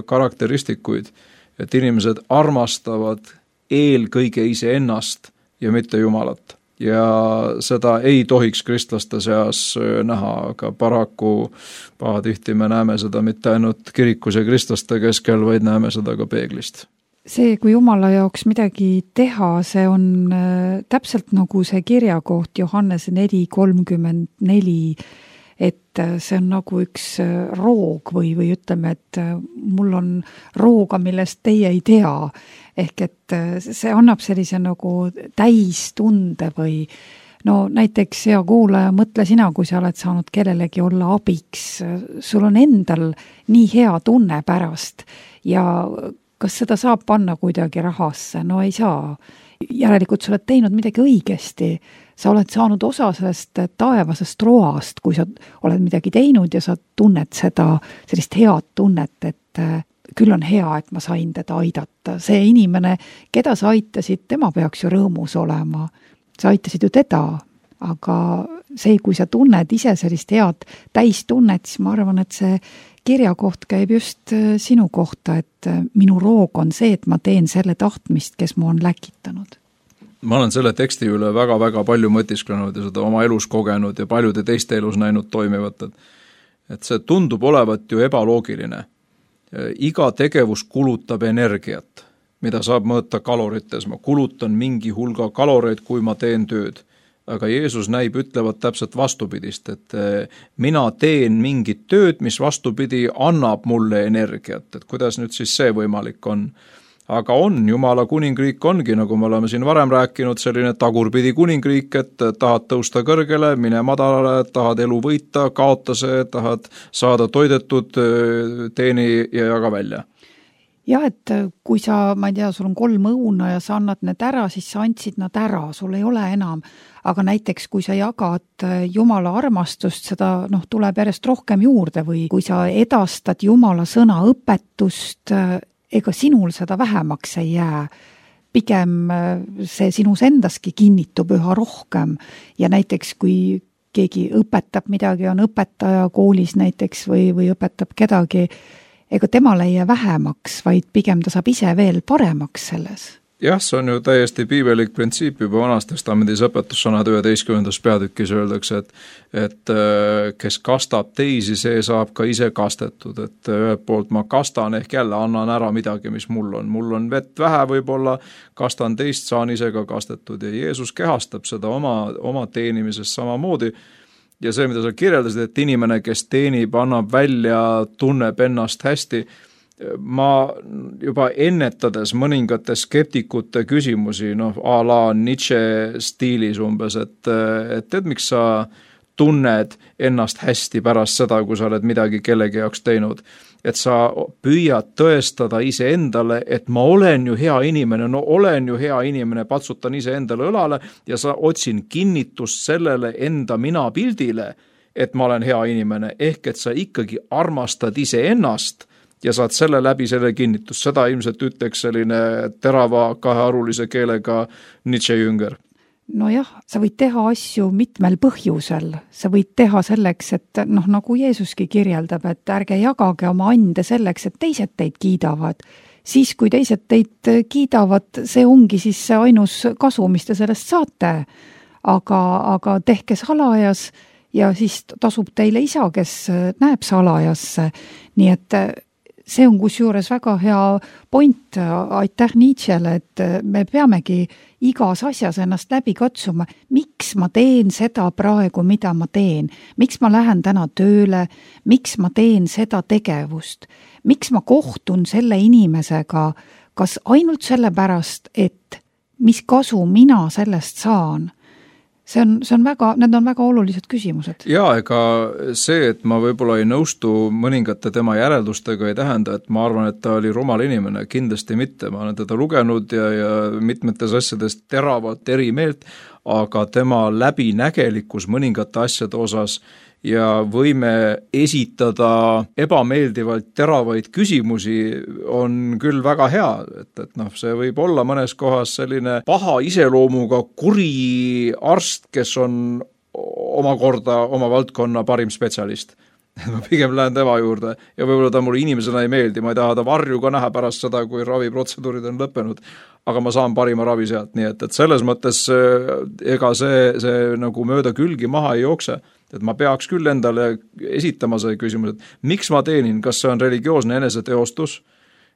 Speaker 3: karakteristikuid, et inimesed armastavad eelkõige ise ennast ja mitte Jumalat. Ja seda ei tohiks kristlaste seas näha, aga paraku pahatihti me näeme seda mitte ainult kirikus ja kristlaste keskel, vaid näeme seda ka peeglist.
Speaker 2: See, kui Jumala jaoks midagi teha, see on täpselt nagu see kirjakoht Johannese neli kolmkümmend neli, et see on nagu üks roog või, või ütleme, et mul on rooga, millest teie ei tea. Ehk et see annab sellise nagu täistunde või no näiteks hea kuulaja, mõtle sina, kui sa oled saanud kellelegi olla abiks. Sul on endal nii hea tunne pärast ja kas seda saab panna kuidagi rahasse? No ei saa. Järelikult sa oled teinud midagi õigesti. Sa oled saanud osa sellest taevasest roast, kui sa oled midagi teinud ja sa tunned seda, sellist head tunnet, et küll on hea, et ma sain teda aidata. See inimene, keda sa aitasid, tema peaks ju rõõmus olema. Sa aitasid ju teda, aga see, kui sa tunned ise sellist head täistunnet, siis ma arvan, et see kirjakoht käib just sinu kohta, et minu roog on see, et ma teen selle tahtmist, kes mu on läkitanud.
Speaker 3: Ma olen selle teksti üle väga-väga palju mõtisklenud ja seda oma elus kogenud ja paljude teiste elus näinud toimivat, et see tundub olevat ju ebaloogiline. Iga tegevus kulutab energiat, mida saab mõõta kalorites. Ma kulutan mingi hulga kaloreid, kui ma teen tööd. Aga Jeesus näib ütlevat täpselt vastupidist, et mina teen mingit tööd, mis vastupidi annab mulle energiat, et kuidas nüüd siis see võimalik on. Aga on, Jumala kuningriik ongi, nagu me oleme siin varem rääkinud, selline tagurpidi kuningriik, et tahad tõusta kõrgele, mine madalale, tahad elu võita, kaota see, tahad saada toidetud, teeni ja jaga välja.
Speaker 2: Jah, et kui sa, ma ei tea, sul on kolm õuna ja sa annad need ära, siis sa andsid nad ära, sul ei ole enam. Aga näiteks, kui sa jagad Jumala armastust, seda noh, tuleb järjest rohkem juurde või kui sa edastad Jumala sõna õpetust, ega sinul seda vähemaks ei jää. Pigem see sinus endaski kinnitub üha rohkem ja näiteks kui keegi õpetab midagi, on õpetaja koolis näiteks või, või õpetab kedagi, ega temale ei jää vähemaks, vaid pigem ta saab ise veel paremaks selles.
Speaker 3: Jah, see on ju täiesti piibelik printsiip juba Vanas Testamendis õpetussõnad üheteistkümnendas peatükis öeldakse, et, et kes kastab teisi, see saab ka ise kastetud, et ühelt poolt ma kastan ehk jälle annan ära midagi, mis mul on. Mul on vett vähe võib-olla, kastan teist, saan ise ka kastetud ja Jeesus kehastab seda oma, oma teenimises samamoodi. Ja see, mida sa kirjeldasid, et inimene, kes teenib, annab välja, tunneb ennast hästi, ma juba ennetades mõningate skeptikute küsimusi, noh, a la Nietzsche stiilis umbes, et, et tead, miks sa tunned ennast hästi pärast seda, kui sa oled midagi kellegi jaoks teinud, et sa püüad tõestada ise endale, et ma olen ju hea inimene, no olen ju hea inimene, patsutan ise endale õlale ja sa otsin kinnitust sellele enda mina pildile, et ma olen hea inimene, ehk et sa ikkagi armastad ise ennast ja saad selle läbi selle kinnitust. Seda ilmselt ütleks selline terava kahearulise keelega Nietzsche jünger.
Speaker 2: No jah, sa võid teha asju mitmel põhjusel. Sa võid teha selleks, et noh, nagu Jeesuski kirjeldab, et ärge jagage oma ande selleks, et teised teid kiidavad. Siis, kui teised teid kiidavad, see ongi siis see ainus kasu, mis te sellest saate. Aga, aga tehke salajas ja siis tasub teile isa, kes näeb salajasse. Nii et see on kusjuures väga hea point, aitäh Nietzschele, et me peamegi igas asjas ennast läbi katsuma. Miks ma teen seda praegu, mida ma teen? Miks ma lähen täna tööle? Miks ma teen seda tegevust? Miks ma kohtun selle inimesega? Kas ainult sellepärast, et mis kasu mina sellest saan? See on, see on väga, need on väga olulised küsimused.
Speaker 3: Jaa, ega see, et ma võib-olla ei nõustu mõningate tema järeldustega, ei tähenda, et ma arvan, et ta oli rumal inimene, kindlasti mitte. Ma olen teda lugenud ja, ja mitmetes asjades teravalt eri meelt, aga tema läbinägelikkus mõningate asjade osas ja võime esitada ebameeldivalt teravaid küsimusi on küll väga hea, et, et noh, see võib olla mõnes kohas selline paha iseloomuga kuri arst, kes on omakorda oma valdkonna parim spetsialist. Ma pigem lähen tema juurde ja võib-olla ta mulle inimesena ei meeldi, ma ei taha ta varju ka näha pärast seda, kui raviprotseduurid on lõppenud, aga ma saan parima ravi sealt, nii et, et selles mõttes ega see, see nagu mööda külgi maha ei jookse. Et ma peaks küll endale esitama see küsimus, et miks ma teenin, kas see on religioosne eneseteostus,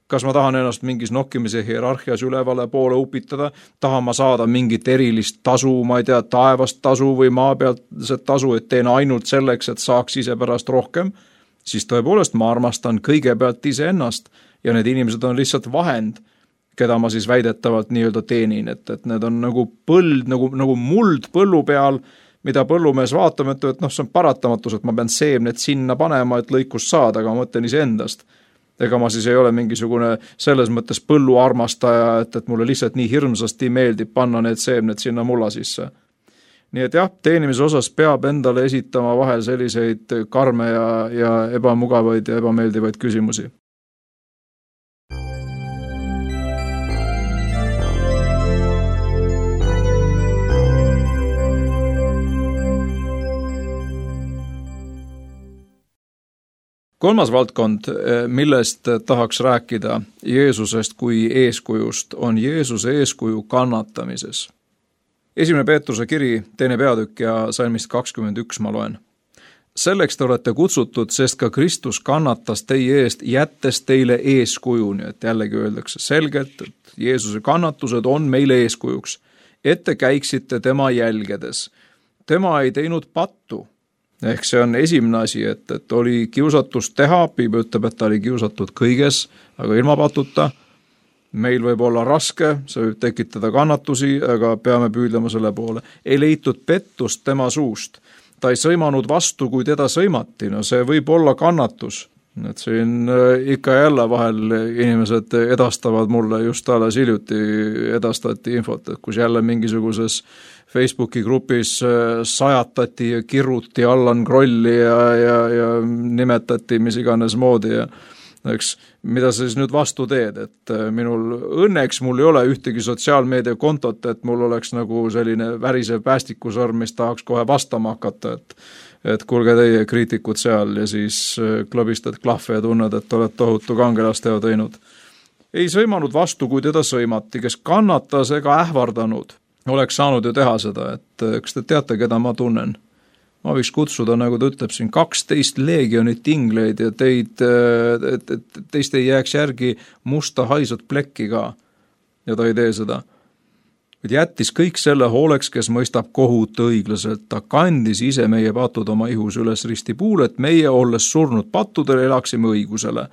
Speaker 3: kas ma tahan ennast mingis nokkimise hierarhias ülevale poole upitada, tahan ma saada mingit erilist tasu, ma ei tea, taevast tasu või maa pealt see tasu, et teen ainult selleks, et saaks ise pärast rohkem, siis tõepoolest ma armastan kõigepealt ise ennast ja need inimesed on lihtsalt vahend, keda ma siis väidetavalt nii-öelda teenin, et, et need on nagu põld, nagu, nagu muld põllu peal, mida põllumees vaatab, et, et noh, see on paratamatus, et ma pean seemned sinna panema, et lõikust saada, aga ma mõtlen ise endast. ega ma siis ei ole mingisugune selles mõttes põlluarmastaja, et, et mulle lihtsalt nii hirmsasti meeldib panna need seemned sinna mulla sisse. Nii et jah, teenimise osas peab endale esitama vahel selliseid karme ja, ja ebamugavaid ja ebameeldivaid küsimusi. Kolmas valdkond, millest tahaks rääkida Jeesusest kui eeskujust, on Jeesuse eeskuju kannatamises. Esimene Peetruse kiri, teine peatükk ja salmist kakskümmend üks ma loen. Selleks te olete kutsutud, sest ka Kristus kannatas teie eest, jättes teile eeskuju, nii et jällegi öeldakse selgelt, et Jeesuse kannatused on meile eeskujuks, et te käiksite tema jälgedes. Tema ei teinud pattu. Ehk see on esimene asi, et, et oli kiusatus teha, Piibel ütleb, et ta oli kiusatud kõiges, aga ilma patuta. Meil võib olla raske, see võib tekitada kannatusi, aga peame püüdlema selle poole. Ei leitud pettust tema suust. Ta ei sõimanud vastu, kui teda sõimati. No see võib olla kannatus. Et siin ikka jälle vahel inimesed edastavad mulle, just alles hiljuti edastati infot, et kus jälle mingisuguses Facebooki grupis sajatati ja kirruti Allan Krolli ja, ja, ja nimetati mis iganes moodi ja eks, mida sa siis nüüd vastu teed, et minul õnneks mul ei ole ühtegi sotsiaalmeedia kontot, et mul oleks nagu selline värisev päästikusõrm, mis tahaks kohe vastama hakata, et et kuulge teie kriitikud seal ja siis klõbistad klahve ja tunned, et oled tohutu kangelasteo teinud. Ei sõimanud vastu, kui teda sõimati, kes kannatas ega ähvardanud. Oleks saanud ju teha seda, et kas te teate, keda ma tunnen? Ma võiks kutsuda, nagu ta ütleb siin, kaksteist leegionit ingleid ja teid, et, et teist ei jääks järgi musta haisut plekki ka. Ja ta ei tee seda. Kuid jättis kõik selle hooleks, kes mõistab kohut õiglaselt. Ta kandis ise meie patud oma ihus üles ristipuul, et meie olles surnud pattudele elaksime õigusele.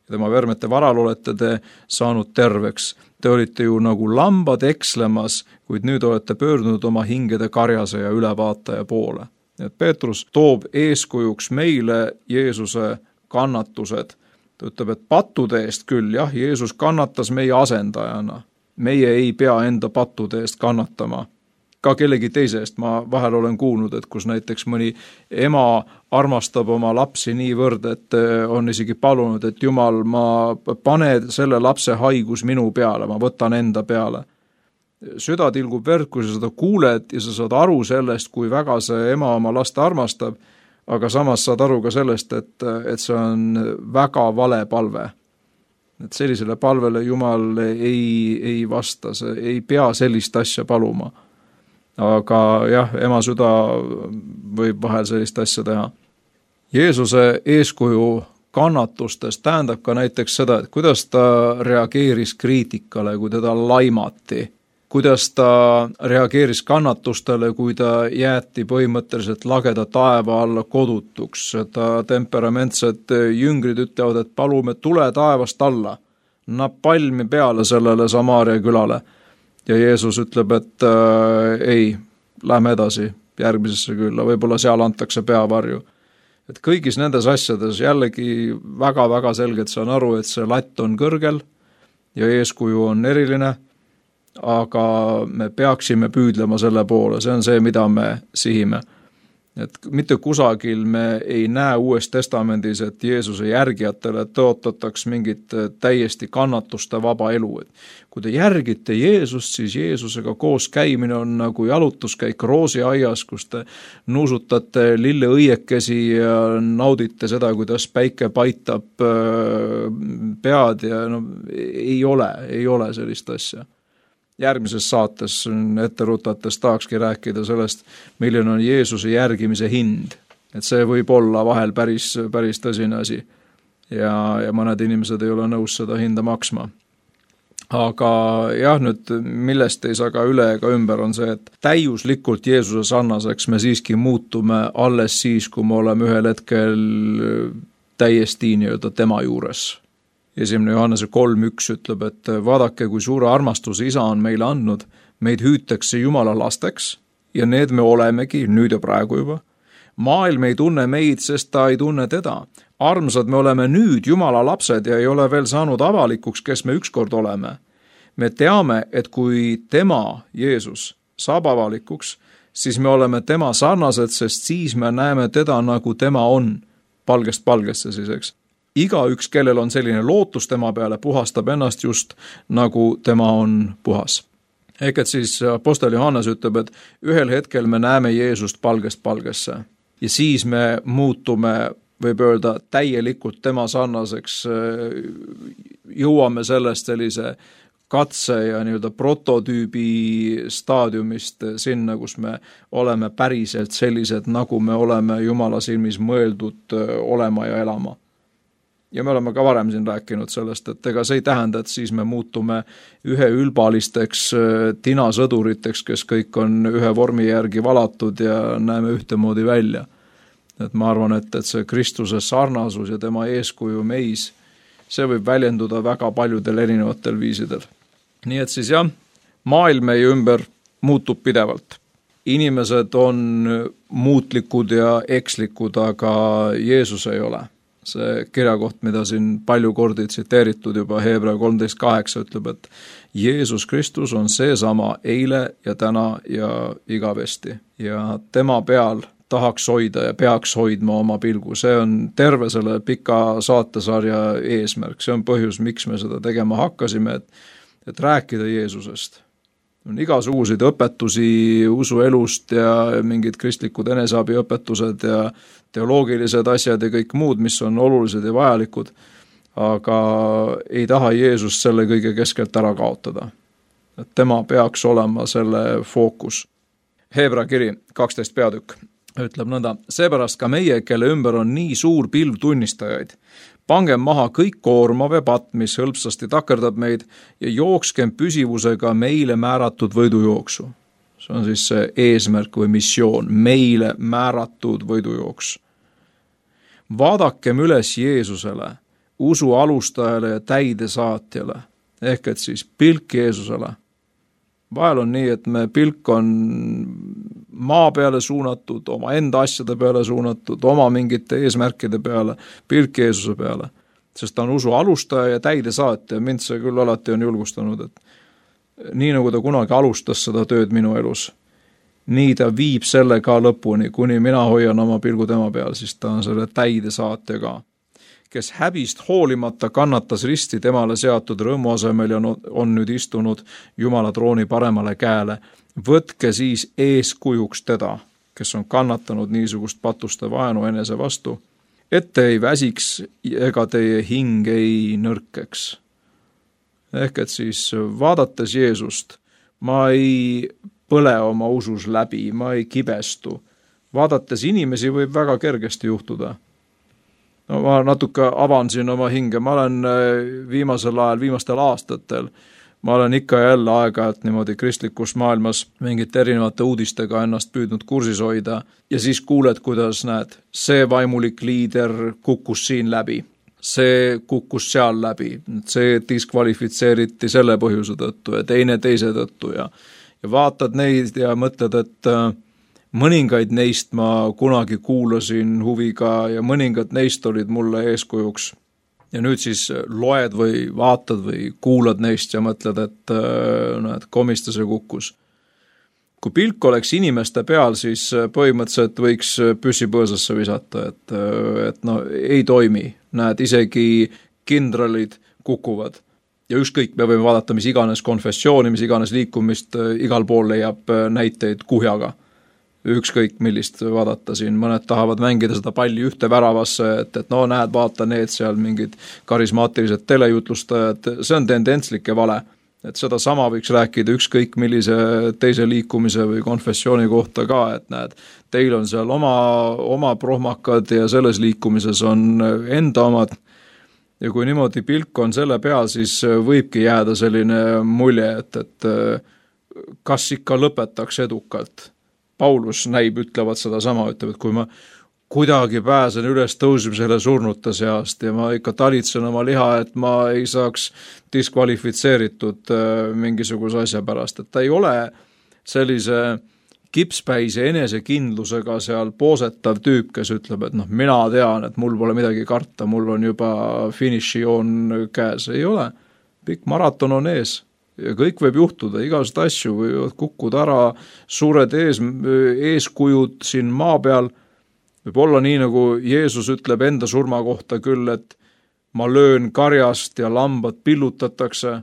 Speaker 3: Ja tema vermete varal olete te saanud terveks. Te olite ju nagu lambad ekslemas, kuid nüüd olete pöördunud oma hingede karjase ja ülevaataja poole. Et Peetrus toob eeskujuks meile Jeesuse kannatused. Ta ütleb, et pattude eest küll, jah, Jeesus kannatas meie asendajana. Meie ei pea enda pattude eest kannatama. Ka kellegi teise eest ma vahel olen kuulnud, et kus näiteks mõni ema armastab oma lapsi niivõrd, et on isegi palunud, et Jumal, ma pane selle lapse haigus minu peale, ma võtan enda peale. Süda tilgub verd, kui sa seda kuuled ja sa saad aru sellest, kui väga see ema oma last armastab, aga samas saad aru ka sellest, et, et see on väga vale palve. Et sellisele palvele Jumal ei, ei vasta, see ei pea sellist asja paluma. Aga jah, ema süda võib vahel sellist asja teha. Jeesuse eeskuju kannatustes tähendab ka näiteks seda, et kuidas ta reageeris kriitikale, kui teda laimati. Kuidas ta reageeris kannatustele, kui ta jäeti põhimõtteliselt lageda taeva alla kodutuks. Ta temperamentsed jüngrid ütlevad, et palume tule taevast alla. Napalmi peale sellele Samaaria külale. Ja Jeesus ütleb, et äh, ei, lähme edasi järgmisesse külla, võib-olla seal antakse peavarju. Et kõigis nendes asjades jällegi väga-väga selgelt saan aru, et see latt on kõrgel ja eeskuju on eriline, aga me peaksime püüdlema selle poole, see on see, mida me sihime. Et mitte kusagil me ei näe Uues Testamendis, et Jeesuse järgijatele tõotataks mingit täiesti kannatuste vaba elu. Et kui te järgite Jeesust, siis Jeesusega koos käimine on nagu jalutuskäik roosiaias, kus te nuusutate lilleõiekesi ja naudite seda, kuidas päike paitab pead ja no, ei ole, ei ole sellist asja. Järgmises saates ette rutates tahakski rääkida sellest, milline on Jeesuse järgimise hind. Et see võib olla vahel päris, päris tõsine asi ja, ja mõned inimesed ei ole nõus seda hinda maksma. Aga jah, nüüd millest ei saa ka üle ega ümber on see, et täiuslikult Jeesuse sarnaseks me siiski muutume alles siis, kui me oleme ühel hetkel täiesti nii-öelda tema juures. Esimene Johannese kolm üks ütleb, et vaadake, kui suure armastuse isa on meile andnud, meid hüütakse Jumala lasteks ja need me olemegi nüüd ja praegu juba. Maailm ei tunne meid, sest ta ei tunne teda. Armsad, me oleme nüüd Jumala lapsed ja ei ole veel saanud avalikuks, kes me ükskord oleme. Me teame, et kui tema, Jeesus, saab avalikuks, siis me oleme tema sarnased, sest siis me näeme teda, nagu tema on, palgest palgesse siis, eks. Igaüks, kellel on selline lootus tema peale, puhastab ennast just nagu tema on puhas. Ehk et siis apostel Johannes ütleb, et ühel hetkel me näeme Jeesust palgest palgesse ja siis me muutume, võib öelda, täielikult tema sarnaseks, jõuame sellest sellise katse ja nii-öelda prototüübi staadiumist sinna, kus me oleme päriselt sellised, nagu me oleme Jumala silmis mõeldud olema ja elama. Ja me oleme ka varem siin rääkinud sellest, et ega see ei tähenda, et siis me muutume ühe ülbalisteks tinasõduriteks, kes kõik on ühe vormi järgi valatud ja näeme ühtemoodi välja. Et ma arvan, et, et see Kristuse sarnasus ja tema eeskuju meis, see võib väljenduda väga paljudel erinevatel viisidel. Nii et siis jah, maailm meie ümber muutub pidevalt. Inimesed on muutlikud ja ekslikud, aga Jeesus ei ole. See kirjakoht, mida siin palju kordi tsiteeritud juba Heebrea kolmteist kaheksa ütleb, et Jeesus Kristus on seesama eile ja täna ja igavesti. Ja tema peal tahaks hoida ja peaks hoidma oma pilgu. See on terve selle pika saatesarja eesmärk. See on põhjus, miks me seda tegema hakkasime, et, et rääkida Jeesusest. On igasuguseid õpetusi usuelust ja mingid kristlikud eneseabiõpetused ja teoloogilised asjad ja kõik muud, mis on olulised ja vajalikud, aga ei taha Jeesus selle kõige keskelt ära kaotada. Et tema peaks olema selle fookus. Heebrea kiri kaksteist peatükk ütleb nõnda, seepärast ka meie, kelle ümber on nii suur pilv tunnistajaid, pangem maha kõik koormav ja patt, mis hõlpsasti takerdab meid ja jookskem püsivusega meile määratud võidujooksu. See on siis see eesmärk või missioon, meile määratud võidujooks. Vaadakem üles Jeesusele, usu alustajale ja täidesaatjale, ehk et siis pilk Jeesusele. Vahel on nii, et me pilk on maa peale suunatud, oma enda asjade peale suunatud, oma mingite eesmärkide peale, pilk Jeesuse peale. Sest ta on usu alustaja ja täidesaatja. Mind see küll alati on julgustanud, et nii nagu ta kunagi alustas seda tööd minu elus, nii ta viib selle ka lõpuni, kuni mina hoian oma pilgu tema peal, siis ta on selle täidesaatja ka. Kes häbist hoolimata kannatas risti temale seatud rõõmu asemel ja on nüüd istunud Jumala trooni paremale käele. Võtke siis eeskujuks teda, kes on kannatanud niisugust patuste vaenu enese vastu, et te ei väsiks ega teie hing ei nõrkeks. Ehk et siis vaadates Jeesust, ma ei põle oma usus läbi, ma ei kibestu. Vaadates inimesi võib väga kergesti juhtuda. No, ma natuke avan siin oma hinge, ma olen viimasel ajal, viimastel aastatel, ma olen ikka ja jälle aeg-ajalt niimoodi kristlikus maailmas mingite erinevate uudistega ennast püüdnud kursis hoida ja siis kuuled, kuidas näed, see vaimulik liider kukkus siin läbi, see kukkus seal läbi, see diskvalifitseeriti selle põhjuse tõttu ja teine teise tõttu ja, ja vaatad neid ja mõtled, et mõningaid neist ma kunagi kuulasin huviga ja mõningad neist olid mulle eeskujuks. Ja nüüd siis loed või vaatad või kuulad neist ja mõtled, et no, et komistas ja kukkus. Kui pilk oleks inimeste peal, siis põhimõtteliselt võiks püssi põõsasse visata, et, et no ei toimi. Näed, isegi kindralid kukuvad. Ja ükskõik, me võime vaadata, mis iganes konfessiooni, mis iganes liikumist, igal pool leiab näiteid kuhjaga. Ükskõik millist vaadata siin, mõned tahavad mängida seda palli ühte väravasse, et, et no näed, vaata need seal mingid karismaatilised telejutlustajad, see on tendentslik ja vale. Et seda sama võiks rääkida ükskõik millise teise liikumise või konfessiooni kohta ka, et näed, teil on seal oma, oma prohmakad ja selles liikumises on enda omad. Ja kui niimoodi pilk on selle peal, siis võibki jääda selline mulje, et, et kas ikka lõpetaks edukalt. Paulus näib, ütlevad seda sama, ütleb, et kui ma kuidagi pääsen üles tõusmisele surnute seast ja ma ikka talitsen oma liha, et ma ei saaks diskvalifitseeritud mingisuguse asja pärast, et ta ei ole sellise kipspäise enesekindlusega seal poosetav tüüp, kes ütleb, et noh, mina tean, et mul pole midagi karta, mul on juba finišijoon käes. Ei ole. Pikk maraton on ees ja kõik võib juhtuda, igasuguseid asju võivad kukkuda ära, suured ees, eeskujud siin maa peal. Võib olla nii, nagu Jeesus ütleb enda surma kohta küll, et ma löön karjast ja lambad pillutatakse.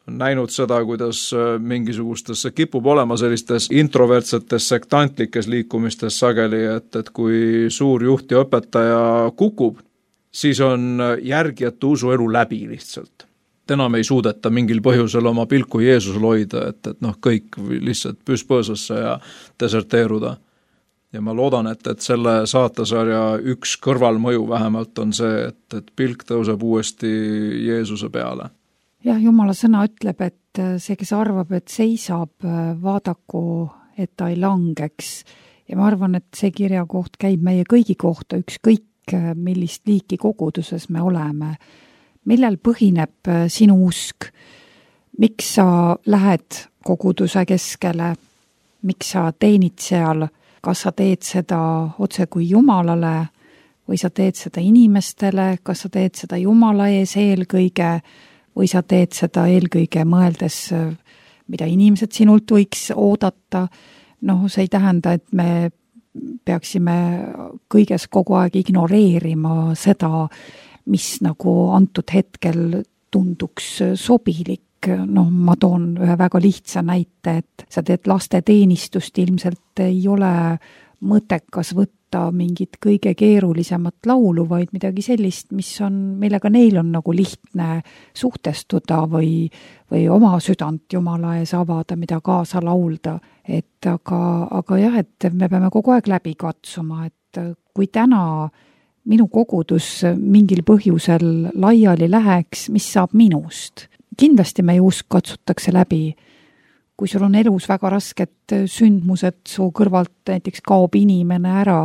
Speaker 3: Näinud seda, kuidas mingisugustes kipub olema sellistes introvertsetes sektantlikes liikumistes sageli, et, et kui suur juht ja õpetaja kukub, siis on järgijate usuelu läbi lihtsalt. Enam ei suudeta mingil põhjusel oma pilku Jeesusel hoida, et, et noh, kõik lihtsalt püspõõsasse ja deserteeruda. Ja ma loodan, et, et selle saatesarja üks kõrvalmõju vähemalt on see, et, et pilk tõuseb uuesti Jeesuse peale.
Speaker 2: Jah, Jumala sõna ütleb, et see, kes arvab, et seisab, vaadaku, et ta ei langeks. Ja ma arvan, et see kirja koht käib meie kõigi kohta, ükskõik millist liiki koguduses me oleme. Millel põhineb sinu usk? Miks sa lähed koguduse keskele? Miks sa teenid seal? Kas sa teed seda otse kui Jumalale või sa teed seda inimestele? Kas sa teed seda Jumala ees eelkõige? Või sa teed seda eelkõige mõeldes, mida inimesed sinult võiks oodata. Noh, see ei tähenda, et me peaksime kõiges kogu aeg ignoreerima seda, mis nagu antud hetkel tunduks sobilik. Noh, ma toon ühe väga lihtsa näite, et sa teed lasteteenistust, ilmselt ei ole mõttekas võtta mingit kõige keerulisemat laulu, vaid midagi sellist, mis on, millega neil on nagu lihtne suhtestuda või, või oma südant Jumala ees avada, mida kaasa laulda. Et aga, aga jah, et me peame kogu aeg läbi katsuma, et kui täna minu kogudus mingil põhjusel laiali läheks, mis saab minust? Kindlasti meie usk katsutakse läbi. Kui sul on elus väga rasked sündmused, su kõrvalt näiteks kaob inimene ära,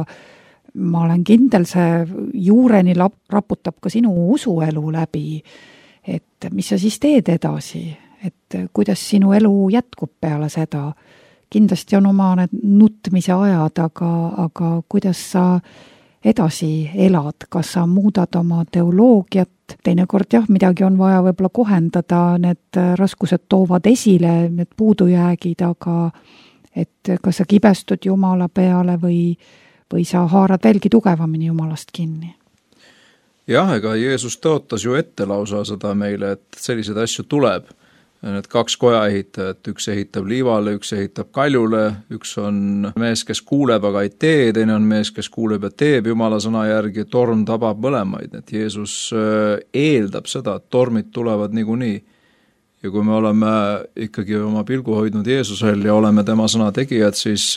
Speaker 2: ma olen kindel, see juureni raputab ka sinu usuelu läbi, et mis sa siis teed edasi, et kuidas sinu elu jätkub peale seda. Kindlasti on oma need nutmise ajad, aga, aga kuidas sa edasi elad, kas sa muudad oma teoloogiat, teinekord jah, midagi on vaja võib-olla kohendada, need raskused toovad esile, need puudujäägid, aga et kas sa kibestud Jumala peale või, või sa haarad veelgi tugevamini Jumalast kinni?
Speaker 3: Jah, ega Jeesus tõotas ju ette lausa seda meile, et selliseid asju tuleb. Need kaks koja ehitajat, üks ehitab liivale, üks ehitab kaljule, üks on mees, kes kuuleb, aga ei tee, teine on mees, kes kuuleb ja teeb Jumala sõna järgi, torm tabab mõlemaid. Et Jeesus eeldab seda, et tormid tulevad niikuinii. Ja kui me oleme ikkagi oma pilgu hoidnud Jeesusel ja oleme tema sõna tegijad, siis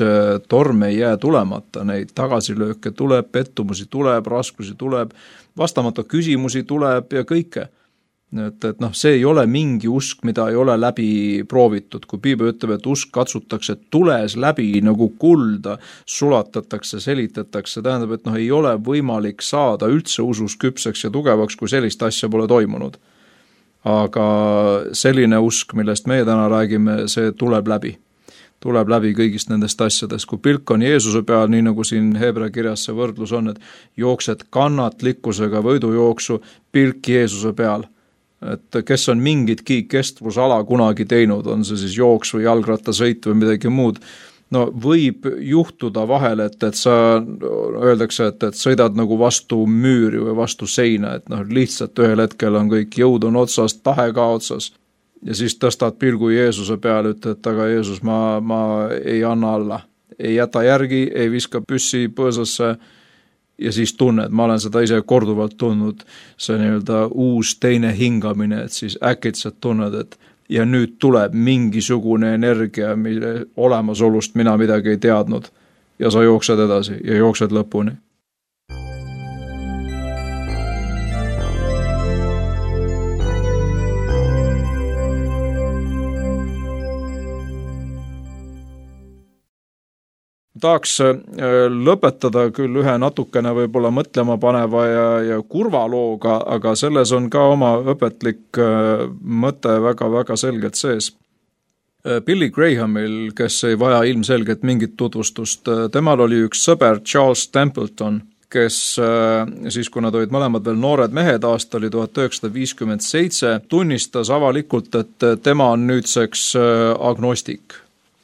Speaker 3: torm ei jää tulemata, neid tagasilööke tuleb, pettumusi tuleb, raskusi tuleb, vastamata küsimusi tuleb ja kõike. Et, et noh, see ei ole mingi usk, mida ei ole läbi proovitud. Kui Piibel ütleb, et usk katsutakse tules läbi nagu kulda, sulatatakse, selitatakse, tähendab, et noh, ei ole võimalik saada üldse usus küpseks ja tugevaks, kui sellist asja pole toimunud. Aga selline usk, millest meie täna räägime, see tuleb läbi. Tuleb läbi kõigist nendest asjadest. Kui pilk on Jeesuse peal, nii nagu siin Hebra kirjas see võrdlus on, et jooksed kannatlikkusega võidujooksu, pilk Jeesuse peal. Et kes on mingitki kestvusala kunagi teinud, on see siis jooks või jalgrattasõit või midagi muud, no võib juhtuda vahel, et, et sa öeldakse, et, et sõidad nagu vastu müüri või vastu seina, et noh, lihtsalt ühel hetkel on kõik jõud on otsas, tahe ka otsas ja siis tõstad pilgu Jeesuse peale, ütled, et aga Jeesus, ma, ma ei anna alla, ei jäta järgi, ei viska püssi põõsasse ja siis tunned, ma olen seda ise korduvalt tundnud, see nii-öelda uus teine hingamine, et siis äkitselt tunned, et ja nüüd tuleb mingisugune energia, mille olemasolust mina midagi ei teadnud ja sa jooksed edasi ja jooksed lõpuni. Tahaks lõpetada küll ühe natukene võib-olla mõtlema paneva ja, ja kurva looga, aga selles on ka oma õpetlik mõte väga-väga selgelt sees. Billy Grahamil, kes ei vaja ilmselgelt mingit tutvustust, temal oli üks sõber Charles Templeton, kes siis, kui nad olid mõlemad veel noored mehed, aasta oli tuhat üheksasada viiskümmend seitse, tunnistas avalikult, et tema on nüüdseks agnostik.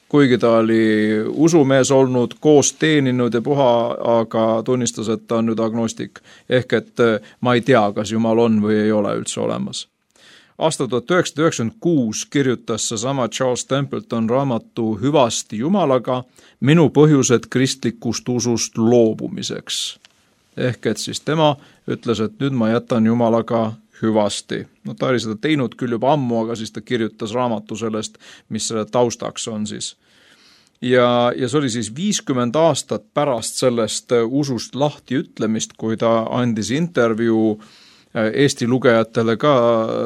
Speaker 3: Kuigi ta oli usumees olnud, koos teeninud ja puha, aga tunnistas, et ta on nüüd agnostik. Ehk et ma ei tea, kas Jumal on või ei ole üldse olemas. Aasta tuhat üheksasada üheksakümmend kuus kirjutas seesama Charles Templeton raamatu Hüvasti Jumalaga minu põhjused kristlikust usust loobumiseks. Ehk et siis tema ütles, et nüüd ma jätan Jumalaga hüvasti. No ta oli seda teinud küll juba ammu, aga siis ta kirjutas raamatu sellest, mis selle taustaks on siis. Ja, ja see oli siis viiskümmend aastat pärast sellest usust lahti ütlemist, kui ta andis intervjuu Eesti lugejatele ka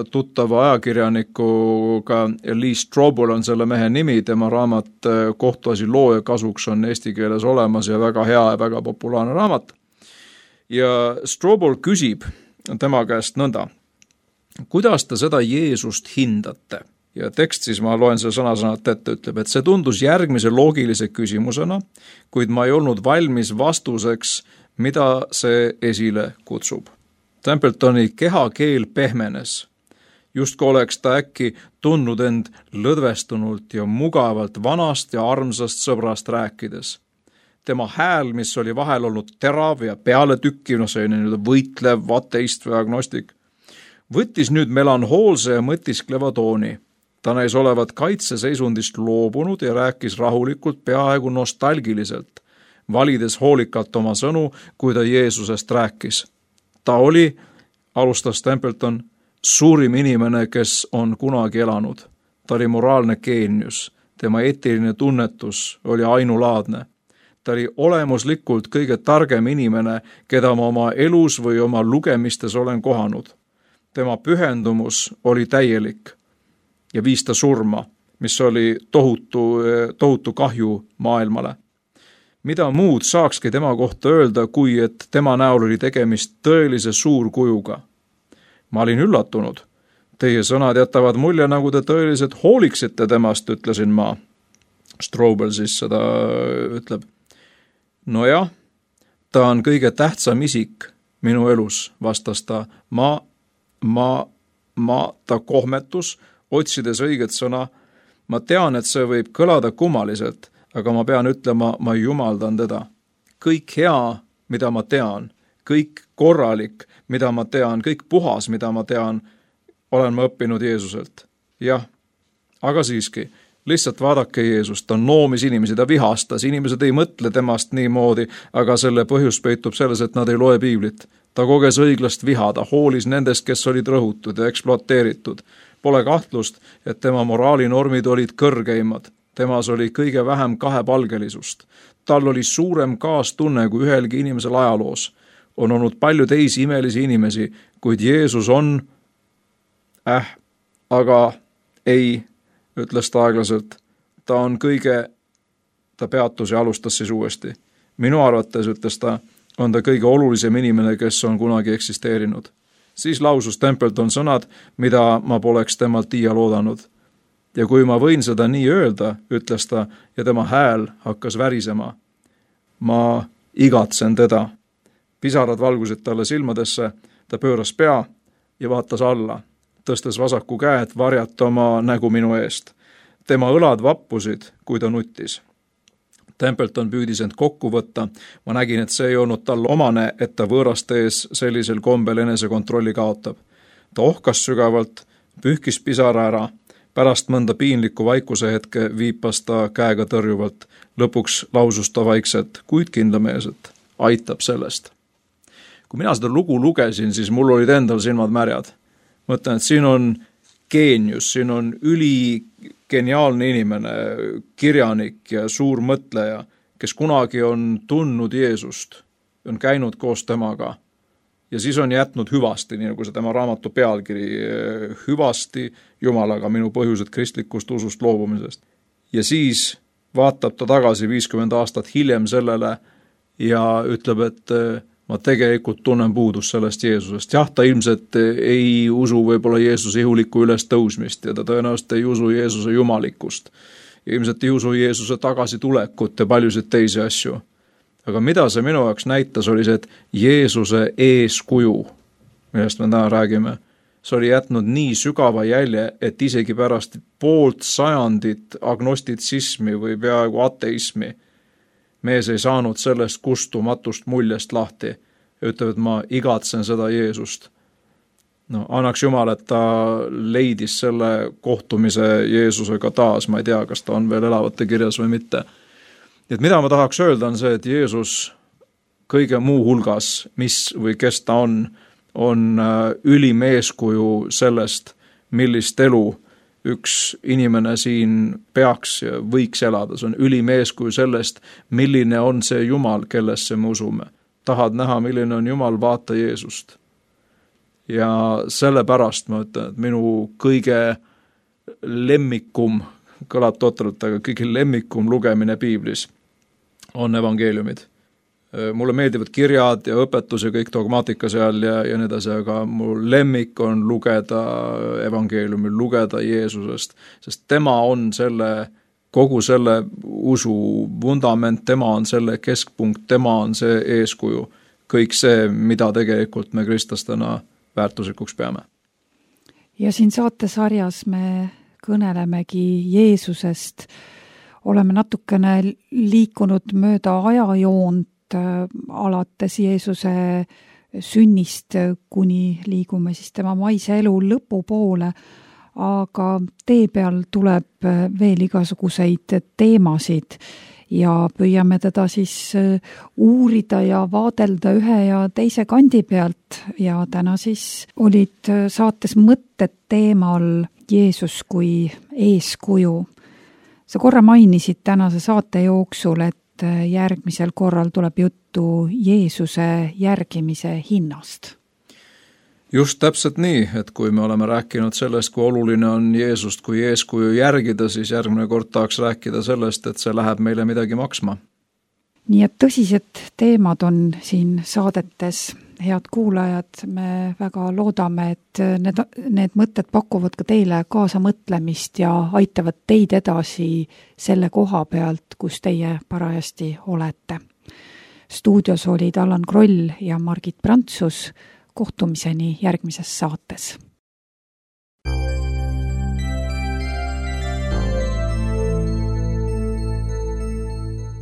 Speaker 3: tuttava ajakirjanikuga, Lee Strobel on selle mehe nimi, tema raamat Kohtuasi looja kasuks on eesti keeles olemas ja väga hea ja väga populaarne raamat. Ja Strobel küsib tema käest nõnda, kuidas te seda Jeesust hindate? Ja tekst siis, ma loen selle sõna-sõnalt ette, ütleb, et see tundus järgmise loogilise küsimusena, kuid ma ei olnud valmis vastuseks, mida see esile kutsub. Templetoni kehakeel pehmenes, justkui oleks ta äkki tundnud end lõdvestunult ja mugavalt vanast ja armsast sõbrast rääkides. Tema hääl, mis oli vahel olnud terav ja pealetükkiv, no see oli võitlev, ateist või agnostik, võttis nüüd melanhoolse ja mõtiskleva tooni. Ta näis olevat kaitseseisundist loobunud ja rääkis rahulikult, peaaegu nostalgiliselt, valides hoolikalt oma sõnu, kui ta Jeesusest rääkis. Ta oli, alustas Templeton, suurim inimene, kes on kunagi elanud. Ta oli moraalne geenius, tema eetiline tunnetus oli ainulaadne. Ta oli olemuslikult kõige targem inimene, keda ma oma elus või oma lugemistes olen kohanud. Tema pühendumus oli täielik ja viis ta surma, mis oli tohutu, tohutu kahju maailmale. Mida muud saakski tema kohta öelda, kui et tema näol oli tegemist tõelise suurkujuga. Ma olin üllatunud. Teie sõnad jätavad mulje, nagu te tõeliselt hooliksite temast, ütlesin ma. Strobel siis seda ütleb. Nojah, ta on kõige tähtsam isik minu elus, vastas ta. Ma, ma, ma, ta kohmetus, otsides õiget sõna. Ma tean, et see võib kõlada kummaliselt, aga ma pean ütlema, ma jumaldan teda. Kõik hea, mida ma tean, kõik korralik, mida ma tean, kõik puhas, mida ma tean, olen ma õppinud Jeesuselt. Jah, aga siiski, lihtsalt vaadake Jeesust, ta noomis inimesi, ta vihastas, inimesed ei mõtle temast niimoodi, aga selle põhjus peitub selles, et nad ei loe piiblit. Ta koges õiglast viha, ta hoolis nendest, kes olid rõhutud ja ekspluateeritud. Pole kahtlust, et tema moraalinormid olid kõrgeimad. Temas oli kõige vähem kahepalgelisust. Tal oli suurem kaastunne kui ühelgi inimesel ajaloos. On olnud palju teisi imelisi inimesi, kuid Jeesus on, äh, aga ei, ütles ta aeglaselt. Ta on kõige, ta peatus ja alustas siis uuesti. Minu arvates, ütles ta, on ta kõige olulisem inimene, kes on kunagi eksisteerinud. Siis lausus Templeton sõnad, mida ma poleks temalt iial oodanud. Ja kui ma võin seda nii öelda, ütles ta, ja tema hääl hakkas värisema. Ma igatsen teda. Pisarad valgusid talle silmadesse, ta pööras pea ja vaatas alla, tõstes vasaku käe, et varjata oma nägu minu eest. Tema õlad vappusid, kui ta nuttis. Templeton püüdis end kokku võtta. Ma nägin, et see ei olnud tal omane, et ta võõraste ees sellisel kombel enesekontrolli kaotab. Ta ohkas sügavalt, pühkis pisara ära. Pärast mõnda piinlikku vaikuse hetke viipas ta käega tõrjuvalt. Lõpuks lausus ta vaikselt, kuid kindlameelselt. Aitab sellest. Kui mina seda lugu lugesin, siis mul olid endal silmad märjad. Mõtlen, et siin on geenius, siin on üli geniaalne inimene, kirjanik ja suur mõtleja, kes kunagi on tundnud Jeesust, on käinud koos temaga ja siis on jätnud hüvasti, nii nagu see tema raamatu pealkiri, hüvasti Jumalaga, minu põhjused kristlikust usust loobumisest. Ja siis vaatab ta tagasi viiskümmend aastat hiljem sellele ja ütleb, et ma tegelikult tunnen puudust sellest Jeesusest. Jah, ta ilmselt ei usu võib-olla Jeesuse ihulikku üles tõusmist ja ta tõenäoliselt ei usu Jeesuse jumalikkust. Ja ilmselt ei usu Jeesuse tagasi tulekut ja paljusid teisi asju. Aga mida see minu jaoks näitas, oli see, et Jeesuse eeskuju, millest me täna räägime, see oli jätnud nii sügava jälje, et isegi pärast poolt sajandit agnostitsismi või peaaegu ateismi mees ei saanud sellest kustumatust muljest lahti. Ütleb, et ma igatsen seda Jeesust. No, annaks Jumal, et ta leidis selle kohtumise Jeesusega taas. Ma ei tea, kas ta on veel elavate kirjas või mitte. Et mida ma tahaks öelda on see, et Jeesus kõige muu hulgas, mis või kes ta on, on ülim eeskuju sellest, millist elu üks inimene siin peaks ja võiks elada. See on ülim eeskuju sellest, milline on see Jumal, kellesse me usume. Tahad näha, milline on Jumal, vaata Jeesust. Ja sellepärast ma ütlen, et minu kõige lemmikum, kõlab totralt, aga kõige lemmikum lugemine Piiblis on evangeeliumid. Mulle meeldivad kirjad ja õpetus ja kõik dogmaatika seal ja, ja nii edasi, aga mu lemmik on lugeda evangeeliumi, lugeda Jeesusest, sest tema on selle, kogu selle usu vundament, tema on selle keskpunkt, tema on see eeskuju. Kõik see, mida tegelikult me kristlastena väärtuslikuks peame.
Speaker 2: Ja siin saatesarjas me kõnelemegi Jeesusest, oleme natukene liikunud mööda ajajoont, alates Jeesuse sünnist, kuni liigume siis tema maise elu lõpu poole, aga tee peal tuleb veel igasuguseid teemasid ja püüame teda siis uurida ja vaadelda ühe ja teise kandi pealt ja täna siis olid saates mõtted teemal Jeesus kui eeskuju. Sa korra mainisid tänase saate jooksul, et järgmisel korral tuleb juttu Jeesuse järgimise hinnast.
Speaker 3: Just täpselt nii, et kui me oleme rääkinud sellest, kui oluline on Jeesust kui eeskuju järgida, siis järgmine kord tahaks rääkida sellest, et see läheb meile midagi maksma.
Speaker 2: Nii et tõsised teemad on siin saadetes. Head kuulajad, me väga loodame, et need, need mõtted pakuvad ka teile kaasa mõtlemist ja aitavad teid edasi selle koha pealt, kus teie parajasti olete. Stuudios olid Allan Kroll ja Margit Prantsus. Kohtumiseni järgmises saates.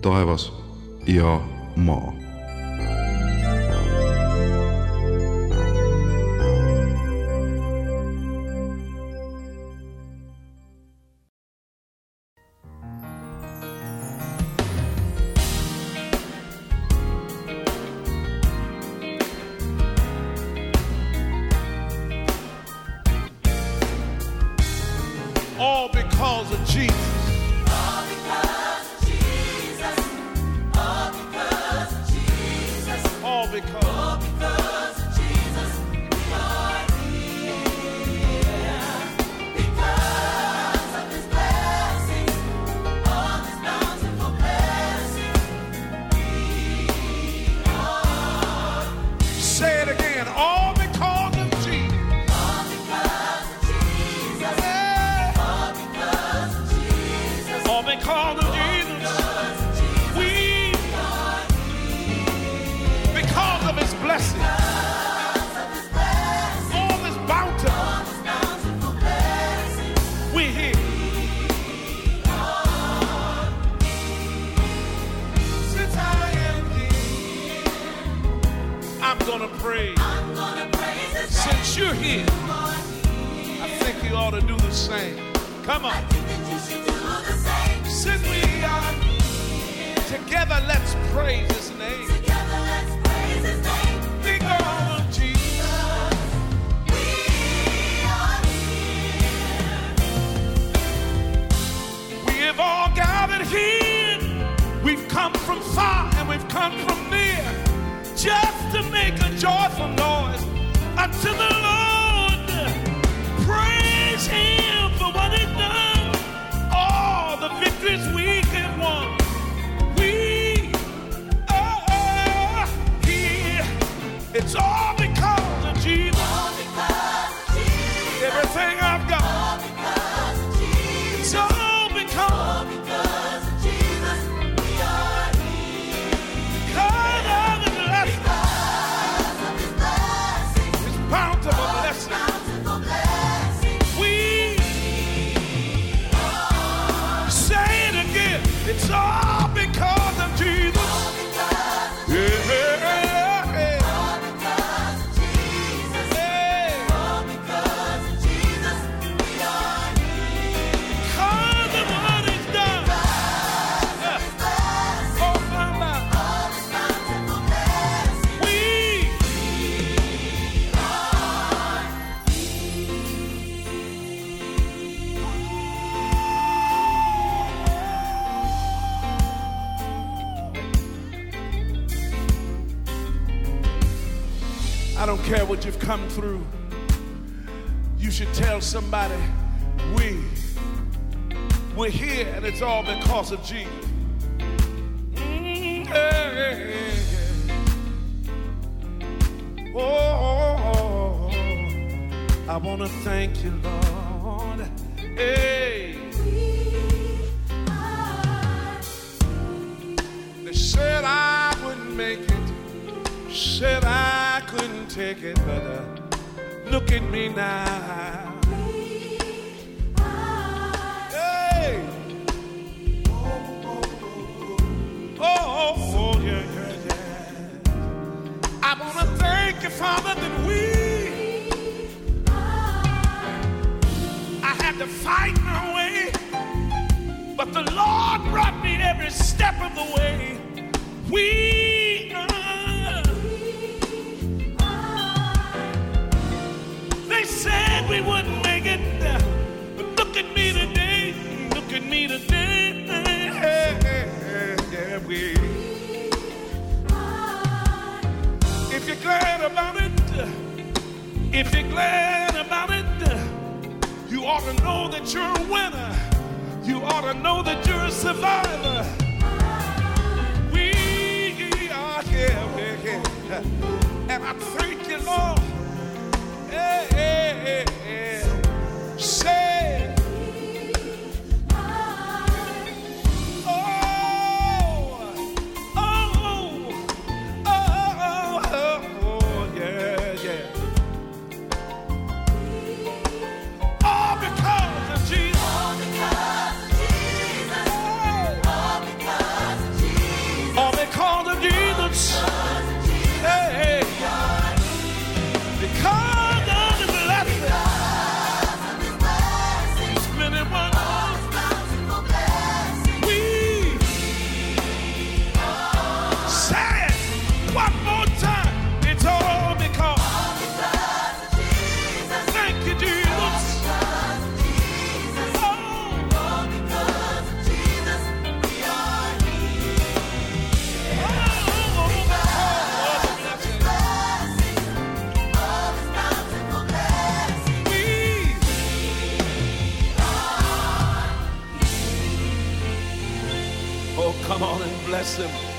Speaker 1: Taevas ja maa.
Speaker 4: All because of Jesus.
Speaker 5: All because of Jesus. All because of Jesus.
Speaker 4: All because.
Speaker 5: All because of Jesus. We are here. Because of His blessings. All His bountiful blessings. We are.
Speaker 4: Say it again. All because of Jesus.
Speaker 5: All because of Jesus.
Speaker 4: Yeah.
Speaker 5: All because of Jesus.
Speaker 4: All because of Jesus. We. Because of His blessing.
Speaker 5: Because of His blessings.
Speaker 4: All His bounty.
Speaker 5: All His bountiful blessings.
Speaker 4: We're here. Since I am here, I'm gonna praise.
Speaker 5: I'm gonna praise His name.
Speaker 4: Since you're here, I think you ought to do the same. Come on.
Speaker 5: I think that you should do the same.
Speaker 4: Since we are together, let's praise His name.
Speaker 5: Together, let's praise His name.
Speaker 4: Because of Jesus.
Speaker 5: We are here.
Speaker 4: We have all gathered here. We've come from far and we've come from near, just to make a joyful noise unto the Lord. Praise Him for what He's done, all the victories we can won. We are here. It's all because of Jesus.
Speaker 5: All because of Jesus.
Speaker 4: Everything I've got.
Speaker 5: All because of Jesus.
Speaker 4: It's all
Speaker 5: All
Speaker 4: because.
Speaker 5: because of Jesus. We are healed.
Speaker 4: Because of His blessing.
Speaker 5: Because of His blessing.
Speaker 4: His bountiful blessing.
Speaker 5: Bountiful blessing.
Speaker 4: We say it again. It's all because of Jesus.
Speaker 5: All because of
Speaker 4: Yeah.
Speaker 5: All because of Jesus.
Speaker 4: Yeah.
Speaker 5: All because of Jesus. We are healed.
Speaker 4: Because of what He's done.
Speaker 5: Because of His blessing.
Speaker 4: Oh, mama.
Speaker 5: All His bountiful blessing.
Speaker 4: We I don't care what you've come through. You should tell somebody, we, we're here and it's all because of Jesus. Mm, yeah, yeah, yeah. Oh, I want to thank you, Lord. Hey, they said I wouldn't make it. Said I couldn't take it, but uh, look at me now. Hey. Oh, oh, oh, yeah, yeah, yeah. I want to thank you, Father, that we, I had to fight my way, but the Lord brought me every step of the way. We are. They said we wouldn't make it, but look at me today, look at me today. Yeah, we. If you're glad about it, if you're glad about it, you ought to know that you're a winner. You ought to know that you're a survivor. We are here, we're here, and I thank you, Lord. Hey, hey, hey, hey. Say, oh, oh, oh, oh, oh, yeah, yeah. All because of Jesus.
Speaker 5: All because of Jesus. All because of Jesus.
Speaker 4: All because of Jesus. Hey, hey. Because come on and bless him.